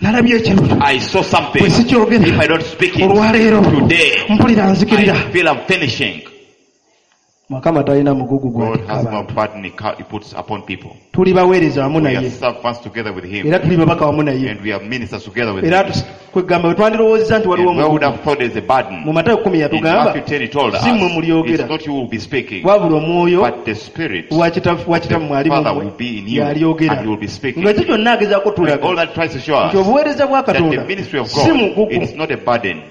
Nalabye ekirooto. I saw something. Bwe sikyogera If I don't speak it olwaleero today, mpulira nzikirira. I feel I'm finishing. Mukama talina mugugu God gw'atikka has no abantu. burden he ca- he puts upon people. Tuli baweereza wamu We are naye servants together with him. era tuli babaka wamu naye And we are ministers together with era him. tus- kwegamba bwe twandirowoozezza nti waliwo And where would omugugu. have thought there's a burden? Mu Matayo kkumi In yatugamba Matthew ten he told us, si mmwe mulyogera it's not you who will be speaking, wabula omwoyo but the Spirit, wa Kitaffe- wa the Kitammwe ali mu Father mmwe will be in you y'alyogera. and he will be speaking. Ng'ekyo kyonna agezaako And tulaga all that tries to show nti us obuweereza bwa that the Katonda ministry of si God, mugugu it's not a burden.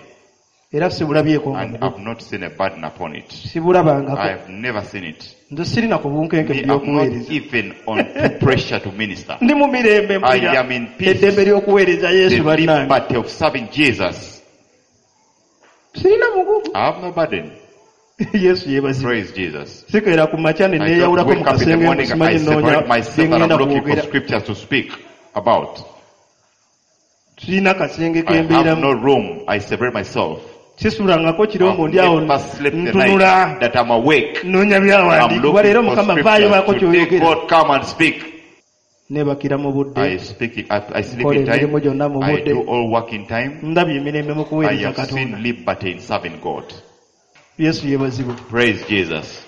era sibulabyeko nga And mugugu. I've not seen a burden upon it. Sibulabangako. I have never seen it. Nze sirina ku bunkenke Me, mu I'm not by'okuweereza. even on too pressure to minister. Ndi mu mirembe I mpulira am in peace. eddembe ly'okuweereza The Yesu bannange. liberty of serving Jesus. Sirina mugugu. I have no burden. Yesu yeebazibwe. Praise Jesus. Sikeera ku makya ne I don't neeyawulako mu wake up in the kasenge morning, simanyi I nnoonya separate myself bye and I'm ŋŋenda looking for kwogera. scriptures to speak about. Sirina kasenge I ke have mbeeramu. no room. I separate myself. Sisulangako kiro I've mbu ndi awo never slept the ntunula night that I'm awake. nnoonya I'm byawandiikibwa looking leero for Mukama vaayo baako scriptures. Today ky'oyogera. God come and speak. Neebakira mu I budde. speak. I, I sleep Nkola in emirimu time. gyonna mu I budde. do all work in time. Ndabye emirembe mu I kuweereza have Katonda. seen liberty in serving God. Yesu yeebazibwe. Praise Jesus.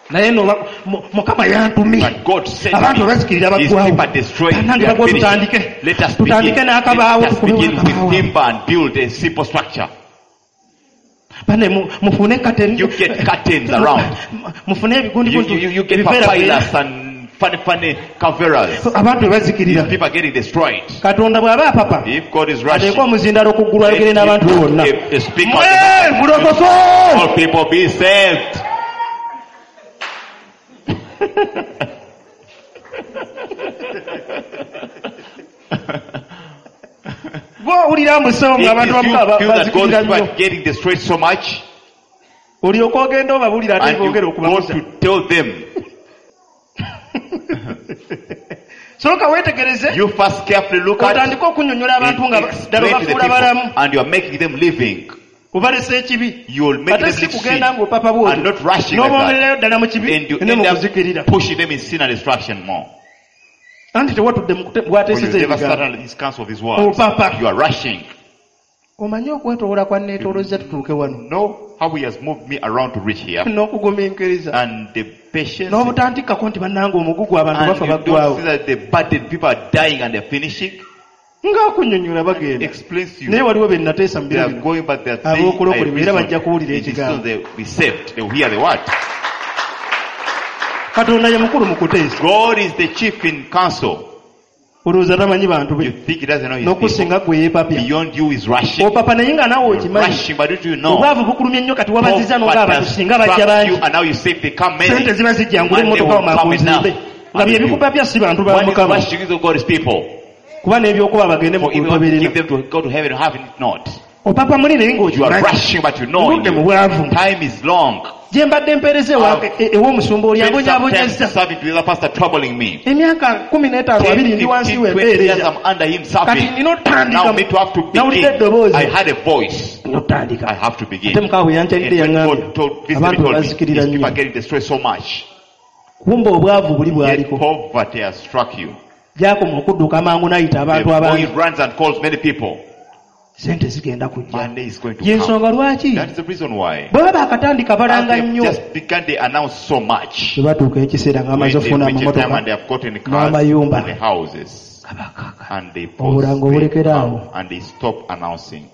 Naye no mu- Mukama yantumye. But God sent Abantu me. bazikirira His baggwawo. people destroyed. Bannange They are bagwa finished. tutandike. Let us begin. Tutandike n'akabaawo Let us tukube begin with akabaawo. timber and build a simple structure. Banne mu- mufune curtain. You get curtains around. Mufune ebigundi You, you, you, you get ebiveera papyrus and funny, funny coverers. abantu bwe bazikirira. People are getting destroyed. Katonda bw'aba apapa If God is rushing, ateeke omuzindaalo ku ggulu ayogere n'abantu be bonna. if the speaker, Mwe mulokoke! all people be saved. Gw'owulira mbu If ng'abantu you bamu feel that God bazikirira is nnyo. getting destroyed so much, Olyoke ogenda obabuulira ate and you bongere go okubabuza. to tell them, Sooka weetegereze you first carefully look at otandike okunnyonnyola abantu and nga ddala explain to the obafuula people, balamu and you are making them living. obalesa ekibi. You will make Ate them si live sin kugenda ng'opapa bw'otyo and not rushing like that. n'obongererayo ddala mu kibi And you ne mu end kuzikirira. up pushing them in sin and destruction more. Anti tewatudde mu kute- For you bw'ateeseza never sat ebigambo. under his counsel of his words. Opapa. You are rushing. Omanyi okwetoola kwa neetoolozza tutuuke wano Know how he has moved me around to reach here. n'okugumiikiriza And the patience. n'obutantikkako nti bannange omugugu abantu And bafa you don't baggwawo see that the burden, people are dying and they're finishing. ng'akunnyonnyola bagenda Explains to naye you. waliwo be nateesa mu They biro are bino going, but they are saying, Ab'okulokolebwa I era reason. bajja kuwulira It is ekigambo. soon they will be saved. They will hear the word. Katonda ye mukulu mu kuteesa. God is the chief in council. Olowooza tamanyi bantu You be think he doesn't know his people. n'okusinga gwe yeepapya. Beyond you is rushing. Opapa naye nga naawe You're okimanyi rushing, but don't you know? obwavu bukulumye nnyo kati wabaziza Poverty n'ogamba has singa bajja struck bangi you, and now you say they come many. sente ziba zijja ngule Money emmotoka will come mangu nzimbe enough. nga bye bikupapya si bantu ba One is Mukama rushing is of God's people. kuba n'ebyokuba bagende mu For if you want to kugoberera give them to go to heaven, have it not. Opapa muli naye You are ng'okimanyi rushing, but you know in Oludde mu you. bwavu. Time is long. Gye mbadde mpeereza ewa- e- ew'omusumba oli Spend some time abonyaabonyezza serving to the other pastor troubling me. Emyaka kumi n'etaano ten, abiri ndi wansi fifteen, we twenty years mpeereza I'm under him kati serving. nina otandika Now me to have to nawulidde begin. eddoboozi I had a voice. nina otandika I have to begin. Ate mukama bwe yankyalidde And when yaŋŋambye God told, visited me, abantu told me, bazikirira these people nnyo are getting destroyed so much. Kumba obwavu buli Yet bwaliko poverty has struck you. Gyakoma okudduka amangu n'ayita The abantu boy abangi runs and calls many people. Sente zigenda kujja Monday is going to ye come. nsonga lwaki That is the reason why. Bwe baba akatandika As balanga they nnyo just began, they announce so much. Bwe batuuka ekiseera When ng'amaze they okufuna reach a time amamotoka and they have gotten cars n'amayumba and the houses, kabakaka and they pause, obulango they obulekeraawo come and they stop announcing.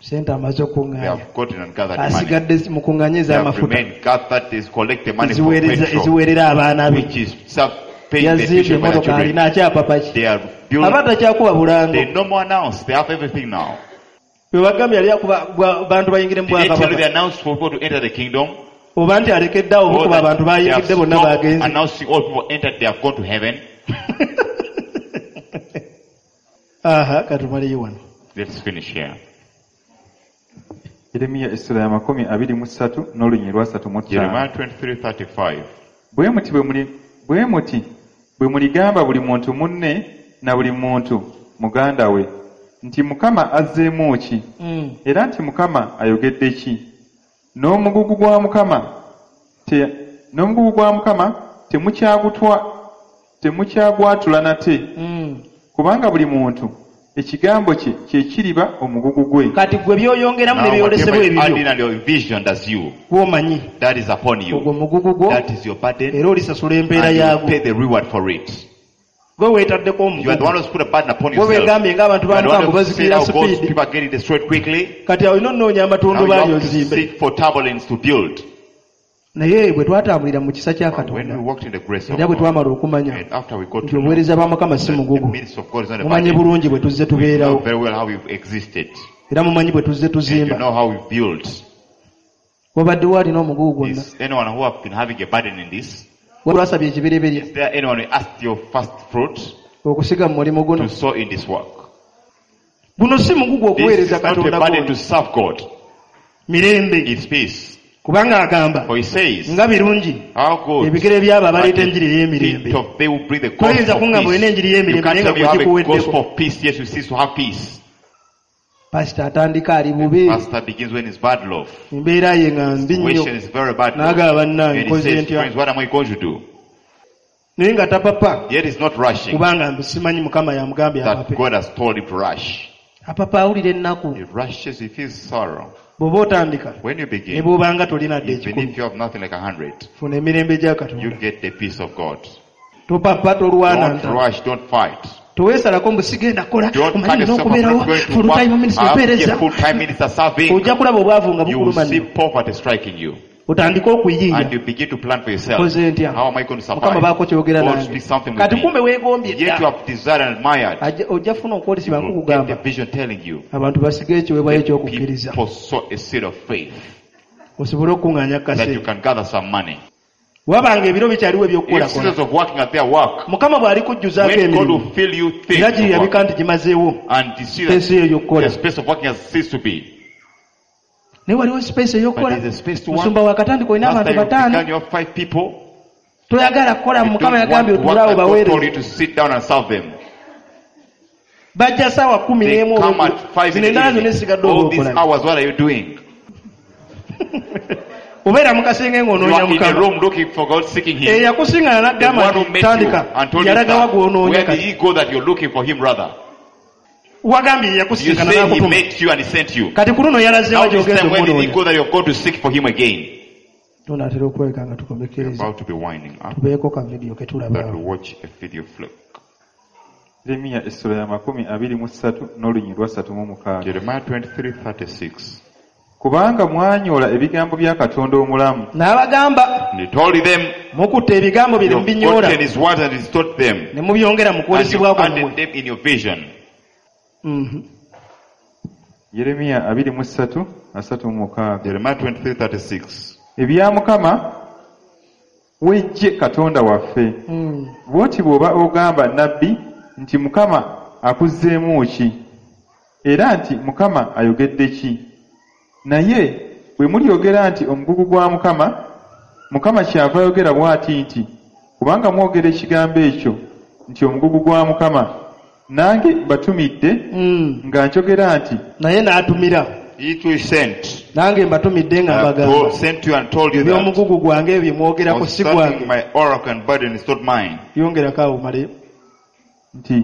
Sente amaze They okuŋŋaanya have gotten and gathered money. Asigadde mukuŋŋaanye They have ez'amafuta remained gathered, they collect the money for eziweereza petrol, eziweerera abaana be which is self paying the Yazimbye tuition for their emmotoka children. alina akyapapa ki They are aba building. takyakuba bulango They no more announce. They have everything now. Bwe bagambye yali akuba bwa- bantu bayingire mu Did they tell you they bwakabaka announced for people to enter the kingdom? Oba nti alekeddeawo Or bukuba that abantu they have bayingidde bonna stopped bagenze announcing all people entered, they have gone to heaven. Aha katumaleyo wano. Let's finish here. Yeremiya essula ya makumi abiri mu ssatu n'olunyiriri lwa asatu mu ttaano. Jeremiah twenty-three thirty-five. Bwe muti bwe muli bwe muti bwe muligamba buli muntu munne na buli muntu muganda we nti Mukama azzeemu ki Mm. era nti Mukama ayogedde ki n'omugugu gwa Mukama te, n'omugugu gwa Mukama temukyagutwa temukyagwatula nate Mm. kubanga buli muntu ekigambo kye kye kiriba omugugu gwe. Kati gwe by'oyongeramu ne Now, byolesebwa whatever you add ebibyo in and your vision as you, gw'omanyi that is upon ogwo you. mugugu gwo That is your burden. era olisasula empeera And you will yaagwo pay the reward for it. Gwe weetaddeko You are the omugugu one who's put a burden upon Gwe yourself. weegambye ng'abantu You ba are the one Mukama who said bazikirira how God's sipiidi people are getting destroyed quickly. Kati olina onoonya Now you amatundubaali have to ozimbe seek for turbulence to build. Naye bwe twatambulira mu kisa kya But when we Katonda walked in the grace of era bwe God, twamala okumanya and after we got nti to know obuweereza bwa Mukama si that the mugugu ministry of God is not a mumanyi burden, bulungi bwe tuzze you know tubeerawo very well how we've existed. Era mumanyi bwe tuzze And you tuzimba know how we built. Wabaddewo alina omugugu gwonna Is anyone who have been having a burden in this? Lwasabye ekibereberye Is there anyone who asked your first fruit okusiga mu mulimu guno to sow in this work? Guno si mugugu This okuweereza is not a Katonda burden gwonna. to serve God. Mirembe It's peace. Kubanga agamba For he says, nga birungi how good ebigere by'abo are abaleeta the enjiri ey'emirembe feet of they who bring the Toyinza gospel of kuŋŋamba olina peace. enjiri You y'emirembe can't naye tell nga me you have a gwegikuweddeko gospel of peace, yet you cease to have peace. Pasita atandika ali bubi Pastor begins when it's bad love. Embeera ye nga mbi nnyo Situation is very bad. N'agamba bannange And he nkoze says, ntya friends, what am I going to do? Naye nga tapapa Yet he's not rushing. kubanga mbu simanyi Mukama yamugambye That apape God has told him to rush. Apapa awulira ennaku He rushes, he feels sorrow. Bw'oba otandika When you ne begin, bw'obanga tolina dde even ekikumi if you have nothing like a hundred, funa emirembe gya you Katonda get the peace of God. Topapa tolwana Don't ntalo rush, don't fight. Teweesalako mbu sigenda kukola Don't omanyi cut nina yourself. I'm okubeerawo not going to full work. time minister I have to be mpeereza a full-time minister serving. Ojja kulaba obwavu nga You will bukuluma see nnyo poverty striking you. Otandike okuyiiya And you begin to plan for yourself. Nkoze ntya How am I going to Mukama survive? baako kyogera God nange speaks something with kati me. kumbe weegombye Yet you dda have desired and admired. Ajja- ojja funa okwolesebwa You will get nkukugamba the vision telling you. abantu basige ekiweebwayo ekyokukkiriza People sow a seed of faith osobole okuŋŋaanya that you kaseera can gather some money. Wabanga ebiro bikyaliwo If ebyokukolakola seasons of working at their work, Mukama bw'alikujjuzaako when God emirimu will fill you things era of giriyabika work, nti gimazeewo and you see space that eyo ey'okukola the space of working has ceased to be. Naye waliwo space But ey'okukola there's a space to work. Musumba wakatandika olina Pastor, abantu you bataano began, you have five people. Toyagala kukola You Mukama don't want yagambye to work otuulaawo that God told baweereze you to sit down and serve them. Bajja saawa kumi They n'emu come at five in zino the endala zonna evening. esigadde All oba these okola hours, what are you doing? Obeera mu kasenge You ng'onoonya are in a Mukama room looking for God, seeking Him. eyakusiŋŋana The n'agamba one who nti met you tandika and told you, yalagawa start. gw'onoonya Where did kati he go that you're looking for him rather? Wagambye You yakusinkana say he n'akutuma met you and he sent you. kati ku luno yalazeewa Now this gy'ogenza time, where did he omunoonya go that you've gone to seek for him again? Tunaatera okulabika nga We're tukomekkereza about to be winding up. tubeeko ka vidiyo ke tulaba That we watch a video flick. Yeremiya essula ya makumi abiri mu ssatu n'olunyiriri lwa ssatu mu mukaaga. Jeremiah twenty-three thirty-six. Kubanga mwanyoola ebigambo bya Katonda omulamu. N'abagamba And he told them, mukutte ebigambo bye ne you've mubinyoola gotten his words and he's taught them. ne mubyongera mu And you kwolesebwa kwammwe added them in your vision. Mhm. Yeremiya abiri mu ssatu asatu mu mukaaga. Jeremiah twenty-three thirty-six. Ebya Mukama w'eggye Katonda waffe. Mm. Bw'oti bw'oba ogamba nabbi nti Mukama akuzzeemu ki? Era nti Mukama ayogedde ki? Naye bwe mulyogera nti omugugu gwa Mukama, Mukama kyava ayogera bw'ati nti, kubanga mwogera ekigambo ekyo nti omugugu gwa Mukama, nange mbatumidde Mm. nga njogera nti Naye n'atumira. He too is sent. Nange mbatumidde nga I have mbagamba. told, sent you and told you that Eby'omugugu gwange ebyo bye mwogerako si concerning gwange. my oracle and burden is not mine. Yongerako awo male. Nti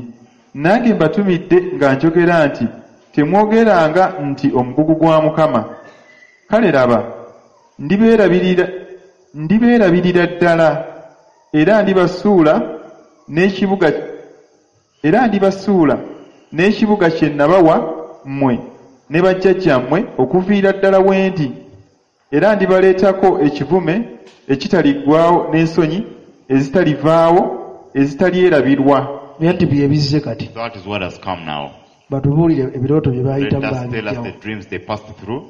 nange mbatumidde nga njogera nti temwogeranga nti omugugu gwa Mukama. Kale laba, ndibeerabirira ndibeerabirira ddala era ndibasuula n'ekibuga era ndibasuula n'ekibuga kye nabawa mmwe ne bajjajjammwe okuviira ddala we ndi era ndibaleetako ekivume ekitaliggwaawo n'ensonyi ezitalivaawo ezitalyerabirwa. Naye nti bye bizze kati. That is what has come now. Batubuulire ebirooto bye Let baayitamu us tell us baabijjawo the dreams they passed through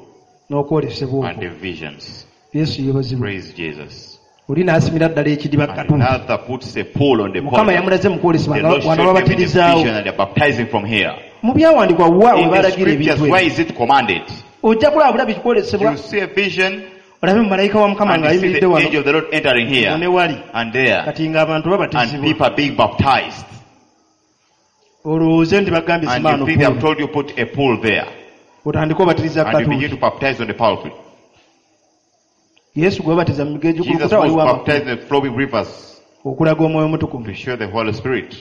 n'okwolesebwa and okwo. the visions. Yesu yeebazibwe. Praise Jesus. Oli n'asimira ddala ekidiba And katundu. another puts a pole on the Mukama pole. yamulaze mu kwolesebwa The nga Lord wano showed them in the babatirizaawo. vision and they're baptizing from here. Mu byawandiikibwa wa we In the balagira scriptures, ebintu why ebyo? is it commanded? Ojja kulaba bulabi kikwolesebwa. You see a vision Olabe malayika wa Mukama and you see ng'ayimiridde the wano angel of the Lord entering ne here wali. and there. Kati ng'abantu And babatizibwa. people are being baptized. Olowooze nti bagambye And simaano you think they have pool. told you put a pool there. Otandike obatiriza And you begin katundu. to baptize on the pulpit. Yesu gwe babatiza mu migga Jesus egikulukuta was waliwo amakulu. baptized in the flowing rivers Okulaga omwoyo omutukuvu. to show the Holy Spirit.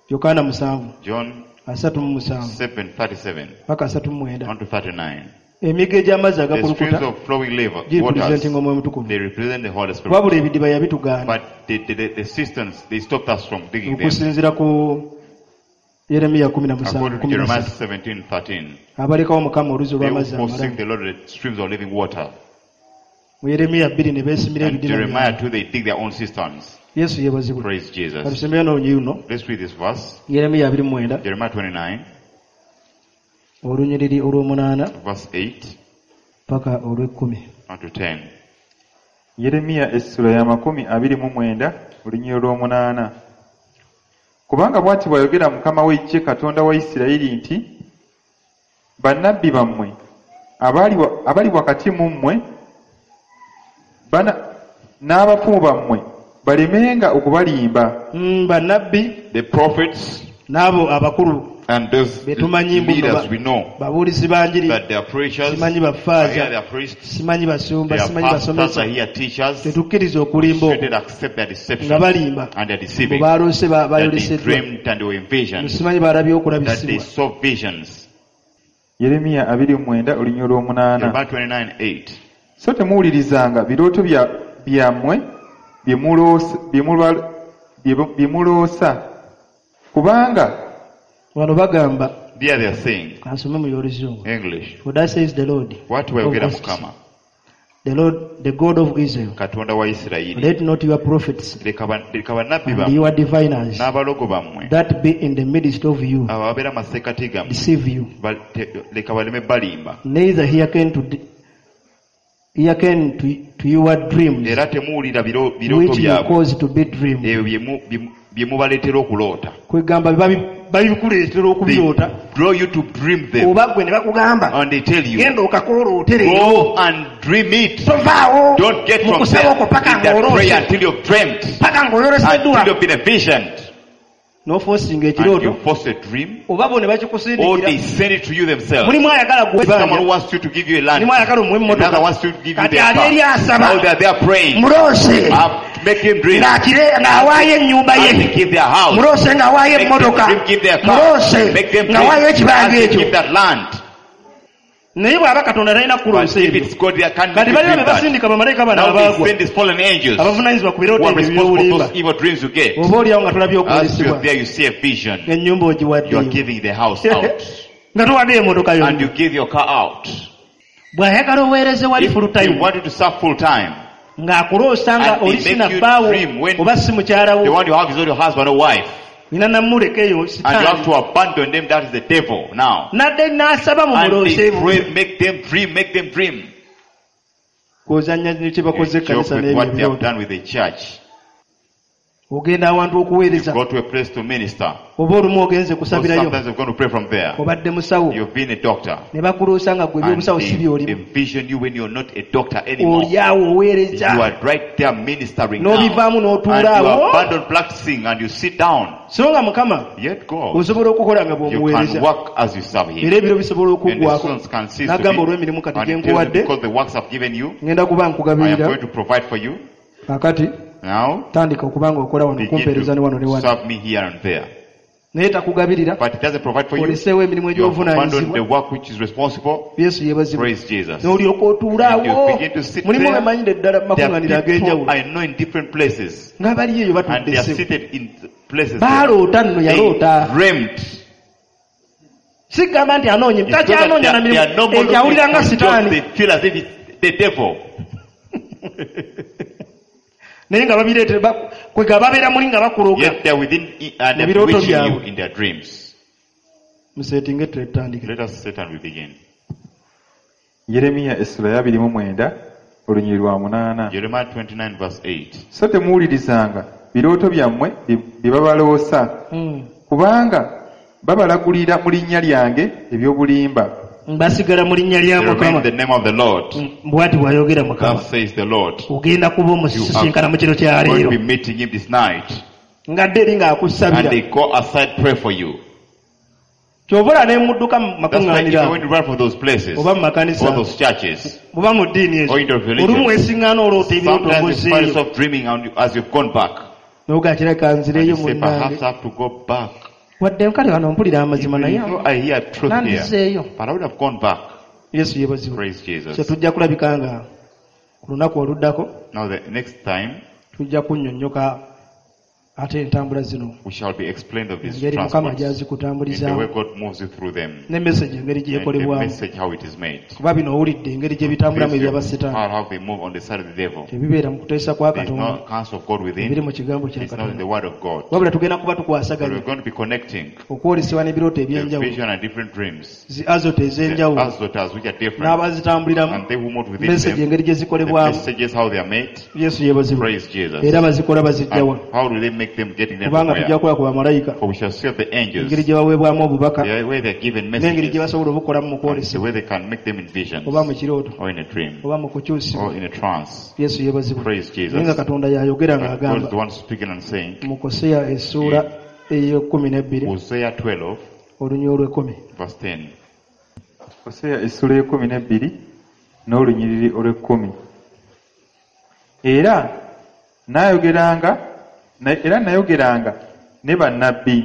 Yokaana musanvu John asatu mu musanvu seven thirty-seven paka asatu mu mwenda. one to thirty-nine. Emigga egy'amazzi The streams agakulukuta of flowing liver, waters, girepresentinga omwoyo omutukuvu. they represent the Holy Spirit. Wabula ebidiba yabitugaana. But the, the, the, the cisterns, they stopped us from digging them. Okusinziira ku Yeremiya kumi na musanvu According to kumi na Jeremiah ssatu. seventeen thirteen, Abalekawo Mukama oluzzi they who olw'amazzi forsake amalamu. the Lord the streams of living water. Mu Yeremiya bbiri ne beesimira And ebidiba Jeremiah byabwe. two, they dig their own cisterns. Yesu yeebazibwe. Praise Jesus. Katusembeyo n'olunyiriri luno. Let's read this verse. Yeremiya abiri mu mwenda Jeremiah twenty-nine, olunyiriri olw'omunaana verse eight paka olw'ekkumi. on to ten. Yeremiya essula ya makumi abiri mu mwenda olunyiriri olw'omunaana. Kubanga bw'ati bw'ayogera Mukama w'eggye Katonda wa Isirayiri nti bannabbi bammwe abali wa- abali wakati mu mmwe bana- n'abafumu bammwe balemenga okubalimba. Mm, bannabbi The prophets n'abo abakulu and those be tumanyi mbu leaders ba- we know babuulizi ba njiri that they are preachers, simanyi are here bafaaza they are priests, simanyi basumba they are simanyi pastors, basomesa are here teachers. tetukkiriza okulimba okwo Shouldn't accept their deception nga balimba and their bwe deceiving. baloose ba- That they bayoleseddwa dreamed and they were in visions. simanyi balabye That they okulabisibwa. saw visions. Yeremiya abiri mu mwenda olunyiriri olw'omunaana. Jeremiah twenty-nine eight. So temuwulirizanga birooto bya- byammwe bye muloosa- bye mulwa- bye- bye muloosa kubanga Wano bagamba There they are saying kansome mu y'oluzungu. English. For thus says the Lord What wayogera of hosts, Mukama the Lord, the God of Israel, Katonda wa Isirayiri let not your prophets leka ba- leka bannabbi and bammwe your diviners n'abalogo bammwe that be in the midst of you abo ababeera mu masekkati gammwe deceive you, ba- te- leka baleme balimba neither hearken to the, hearken to, to your dreams era temuwulira biro- birooto which you byabwe cause to be dreamed. ebyo bye mu- bye mu- bye mubaleetera okuloota. Kwegamba babi- babikuleetera They okubiroota draw you to dream them oba gwe ne bakugamba and they tell you genda okakooloote leero go and dream it. tovaawo Don't get mu from kusaba there okwo paka in that prayer ng'oloose until you've dreamt, paka ng'oyoleseddwa until you've been envisioned. n'ofoosinga And ekirooto you force a dream oba bo ne or bakikusindikira they send it to you themselves. mulimu ayagala gwe Someone wants you to give you a land. mulimu ayagala omuwe Another emmotoka wants you to give you kati their ali car. eri asaba Now they are there praying. muloose Uh, make him dream. ng'akire ng'awaayo ennyumba Ask ye him give their house. muloose ng'awaayo Make them emmotoka dream, give their car. muloose Make them dream. ng'awaayo ekibanja Ask him ekyo give that land. naye bw'aba Katonda talina But kuloosa if ebyo it's God, they can't kati make you balina dream be that. basindika bamalayika bano Now they abaagwa send these fallen angels who abavunaanyizibwa ku birooto are ebyo responsible for eby'obulimba those evil dreams you get. oba oliawo nga tolabye As you're okwolesebwa there, you see a vision. ennyumba You are ogiwaddeyo giving the house out. nga towaddeyo emmotoka And yonna you give your car out. bw'ayagala oweereze wali If full they time want you to serve full time, ng'akuloosa nga And they oli make sina you bbaawo dream when oba si mukyala the wo one you have is not your husband or wife. nina namuleka eyo And you have sitaani to abandon them. That is the devil now. nadde n'asaba mu And muloose they pray, make them dream, make them dream. kw'ozannya ne kye bakoze You joke ekkanisa with n'ebyo what they have ebirooto done with the church. Ogenda awantu You okuweereza go to a place to minister. Oba olumu ogenze Or kusabirayo sometimes you've gone to pray from there. Obadde musawo You've been a doctor. Ne bakuloosa nga gwe And ebyobusawo si they byolimu envision you when you're not a doctor anymore. Oli awo You oweereza are right there ministering now. N'obivaamu And n'otuula you awo abandon practicing and you sit down. So nga mukama Yet God, osobola okukola nga you can bw'omuweereza work as you serve Him. Era ebiro bisobola And the okuggwako seasons can cease to n'agamba be. olw'emirimu kati And gye he tells you, nkuwadde because the works I've given you, ngenda kuba I am nkugabirira going to provide for you. Kaakati Now, tandika okuba nga okola wano begin okumpeereza ne wano ne to wano serve me here and there. Naye takugabirira But it doesn't provide for you. Oleseewo emirimu You have abandoned the egy'obuvunaanyizibwa work which is responsible. Yesu yeebazibwe Praise Jesus. N'olyoka otuula And you awo begin to sit mulimu there. bemanyire ddala mu There makuŋŋaaniro are people ag'enjawulo I know in different places. Nga bali eyo And batudde they are ssebo seated in places there. Baaloota nno They yaloota dreamt. Sigamba nti anoonya It's not that takyanoonya they na are, they are mirimu no more ekyo awulira looking nga for jobs. sitaani They feel as if it's the devil. Naye nga babireetera ba- kwega babeera muli nga bakuloga Yet they are within and they're Mu birooto bewitching you byabwe. In their dreams. Museetinge tutandike Let us sit and we begin. Yeremiya essula ya abiri mu mwenda olunyiriri lwa munaana Jeremiah twenty-nine verse eight. So temuwulirizanga birooto byammwe bye bye babaloosa Mm. kubanga babalagulira mu linnya lyange eby'obulimba Basigala mu linnya lya They remain Mukama in the name of the Lord. Mm, bw'ati bw'ayogera Mukama Thus says the Lord. ogenda kuba omusisinkana mu kiro kya Going leero to be meeting him this night. Ng'adde eri And ng'akusabira they go aside, pray for you. Ky'ova olaba ne mudduka mu That's why if makuŋŋaaniro you ago when you run from those places, oba mu makanisa or those churches, oba mu ddiini ezo or in the religions, olumu weesiŋŋaana oloota ebirooto sometimes you find ng'ozzeeyo yourself dreaming and you- as you've gone back. N'ogaa kirabika And nzireeyo you say, munnange perhaps I have to go back. Wadde nkale wano mpulira amazima naye Even though I hear truth here, nandizeeyo but I would have gone back. Yesu yeebazibwe Praise Jesus. So tujja kulabika nga ku lunaku oluddako Now the next time, tujja kunnyonnyoka ate entambula zino we shall be explained of these engeri Mukama transports, in the way gy'azikutambulizaamu God moves you through them, ne message engeri and the gyekolebwamu message how it is made. Kuba bino owulidde engeri gye bitambulamu This ebyabasitaani how, how they move on the side of the devil. Tebibeera mu kuteesa kwa There is Katonda no counsel of God ebiri within. mu kigambo kya It's not in the Katonda word of God. wabula tugenda kuba But tukwasaganya we're going to be connecting okwolesebwa n'ebirooto the ebyenjawulo vision and different dreams. Zi azoto The ez'enjawulo azotas which are different. n'abazitambuliramu And they who move within message them. engeri gye The zikolebwamu messages how they are made. Yesu yeebazibwe Praise Jesus. Era bazikola bazijjawa And how do they make them getting them kubanga from tujja where? kukola ku bamalayika For we shall see of the angels, engeri gye baweebwamu obubaka the way they are given n'engeri gye messages, basobola obukolamu mu and the kwolesebwa way they can make them in visions, oba mu kirooto or in a dream, oba mu kukyusibwa or in a trance. Yesu yeebazibwe Praise naye nga Jesus. Katonda yayogera But God is ng'agamba the one speaking and saying, mu Koseya essuula ey'ekkumi n'ebbiri Hosea twelve, olunyiriri olw'ekkumi verse ten. Koseya essula y'ekkumi n'ebbiri n'olunyiriri olw'ekkumi era naayogeranga na- era nayogeranga ne bannabbi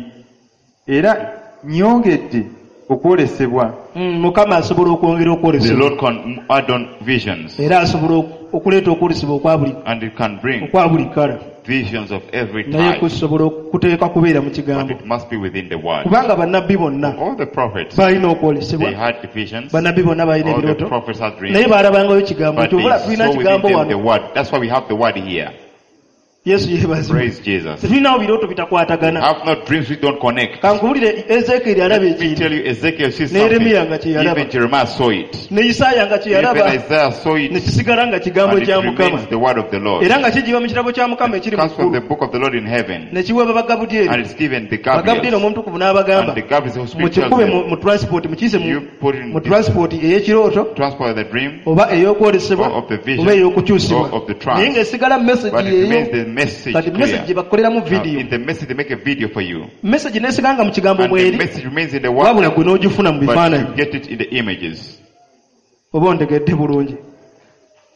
era nnyongedde okwolesebwa Mm, Mukama asobola okwongera The okwolesebwa Lord can add on visions, era asobola ok- okuleeta okwolesebwa okwa buli and it can bring okwa buli kala visions of every naye type, kusobola okuteeka kubeera mu but kigambo it must be within the word. Kubanga bannabbi bonna All the prophets, balina they okwolesebwa had visions. bannabbi bonna balina All the ebirooto prophets had dreams. Naye baalabangayo kigambo But kyova they tulina saw within kigambo them the wano word. That's why we have the word here. Yesu yeebazibwe Praise Jesus. Tetulinawo birooto bitakwatagana Have not dreams we don't connect. Kankubulire Ezekieri alaba Let me ekintu tell you, Ezekiel sees Ne Yeremiya something. nga kye yalaba. Even Jeremiah saw it. Ne Isaaya nga kye Even yalaba Isaiah saw it. ne kisigala nga kigambo And it kya Mukama remains the word of the Lord. era nga kigiba mu kitabo kya Mukama ekiri It mu comes from the ggulu book of the Lord in heaven. ne kiweebwa Bagabudyeri And it's given the Bagabudyeri Gabriels. omutukuvu n'abagamba And the Gabriels who speak tells mukikube mu them, mu transport mukiyise mu- you put in mu this transport ey'ekirooto transport of the dream, oba ey'okwolesebwa or of the vision, oba ey'okukyusibwa or of the trance. naye ng'esigala message But it remains yeeyo the message kati message clear. gye bakoleramu Now, vidiyo in the message, they make a video for you. message n'esigala nga mu kigambo And the mweri message remains in the word, wabula gwe n'ogifuna mu but bifaananyi you get it in the images. Oba ontegedde bulungi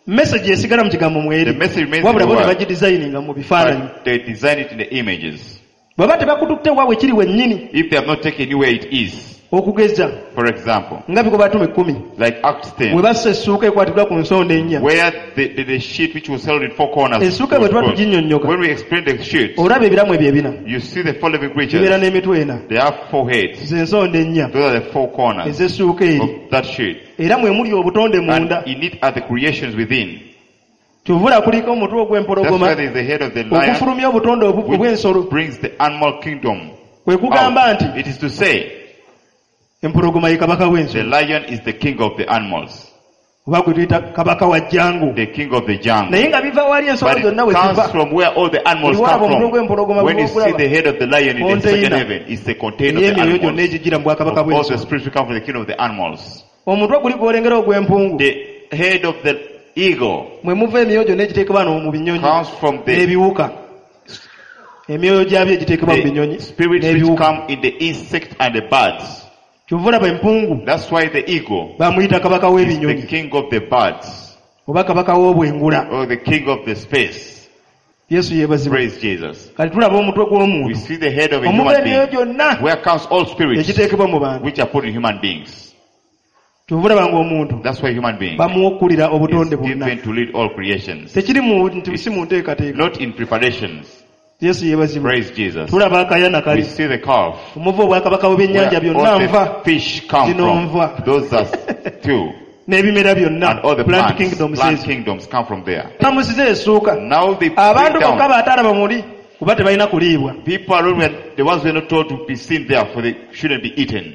message esigala mu kigambo mweri The message remains in wabula the bo ne word, bagidesigninga mu bifaananyi but they design it in the images. Bw'aba tebakututte waabwe kiri wennyini If they have not taken you where it is, okugeza for example, nga Bikolwa Batume ekkumi like Acts bwe ten, bassa essuuka ekwatibwa ku nsonda ennya where the, the, the sheet which was held in four corners Essuuka bwe was tuba put. tuginnyonnyoka When we explain the sheet, olaba ebiramu ebyo ebina you see the four living bibeera creatures. n'emitwe ena They have four heads. ze ensonda ennya Those are the four corners ez'essuuka eri of that sheet. era mwe muli obutonde And munda in it are the creations within. Kyovula kuliko omutwe That's ogw'empologoma why there is the head of the lion, okufulumya obutonde obu- obw'ensolo which brings the animal kingdom kwe kugamba out. nti It is to say, empologoma ye kabaka the w'ensolo lion is the king of the animals. Oba gwe tuyita kabaka wa jungle. The king of the jungle. Naye nga biva wali ensolo But it zonna we comes ziva. from where all the animals Buli come walaba omutwe from. gw'empologoma When you see bw'ogulaba, the head of the lion in the second container heaven, it's the container of the ey'emyoyo gyonna animals. egigira mu bwakabaka Of all the bw'ensolo. spirits who come from the kingdom of the animals. Omutwe guli gw'olengera ogw'empungu The head of the eagle mwe muva emyoyo gyonna egiteekebwa wano mu binyonyi comes from the, n'ebiwuka. Emyoyo gyabyo egiteekebwa mu binyonyi the spirits which n'ebiwuka. come in the insect and the birds. Kyova olaba empungu That's why the eagle bamuyita kabaka is the w'ebinyonyi king of the birds oba kabaka w'obwengula. or the king of the space. Yesu yeebazibwe. Praise Jesus. Kati tulaba omutwe We gw'omuntu see the head of a omuva human emyoyo being gyonna where comes all spirits egiteekebwa mu bantu. which are put in human beings. Kyova olaba ng'omuntu That's why human being bamuwa okkulira is obutonde bwonna. given to lead all creations, Tekiri mu nti si mu nteekateeka. not in preparations. Yesu yeebazibwe. Praise Jesus. Tulaba akayana We kali see the calf omuva obwakabaka bw'ebyennyanja where byonna all nva the fish come Zino from. nva. Those are two. n'ebimera byonna And all the plant plants, kingdoms plant ezo. kingdoms come from there. Tamusize essuuka. Now they break Abantu bokka down. baatalaba muli kuba tebalina kuliibwa People are only the ones who are not told to be seen there for they shouldn't be eaten.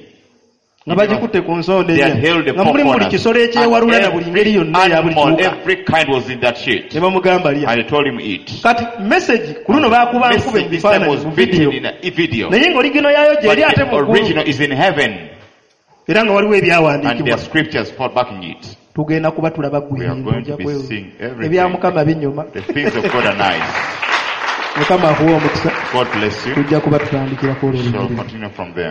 nga bagikutte ku nsonda They had ennya held the nga four mulimu buli corners. kisolo ekyewalula na And buli ngeri every yonna eya buli animal, kiwuka every kind was in that shit. ne bamugamba lya. And they told him eat. Kati message ku luno baakuba nkube Message mu this time bifaananyi was mu vidiyo written in a video. naye ng'oligino yaayo But gyeri ate the mu ggulu original is in heaven. era nga waliwo And there ebyawandiikibwa. are scriptures for backing it. Tugenda kuba tulaba We are ggwe going ojja to be kwewu- seeing everything. Ebya Mukama binyuma. The things of God are nice. Mukama akuwe omukisa. God bless you. Tujja kuba tutandikirako olwo Shall olunyiriri. continue from there.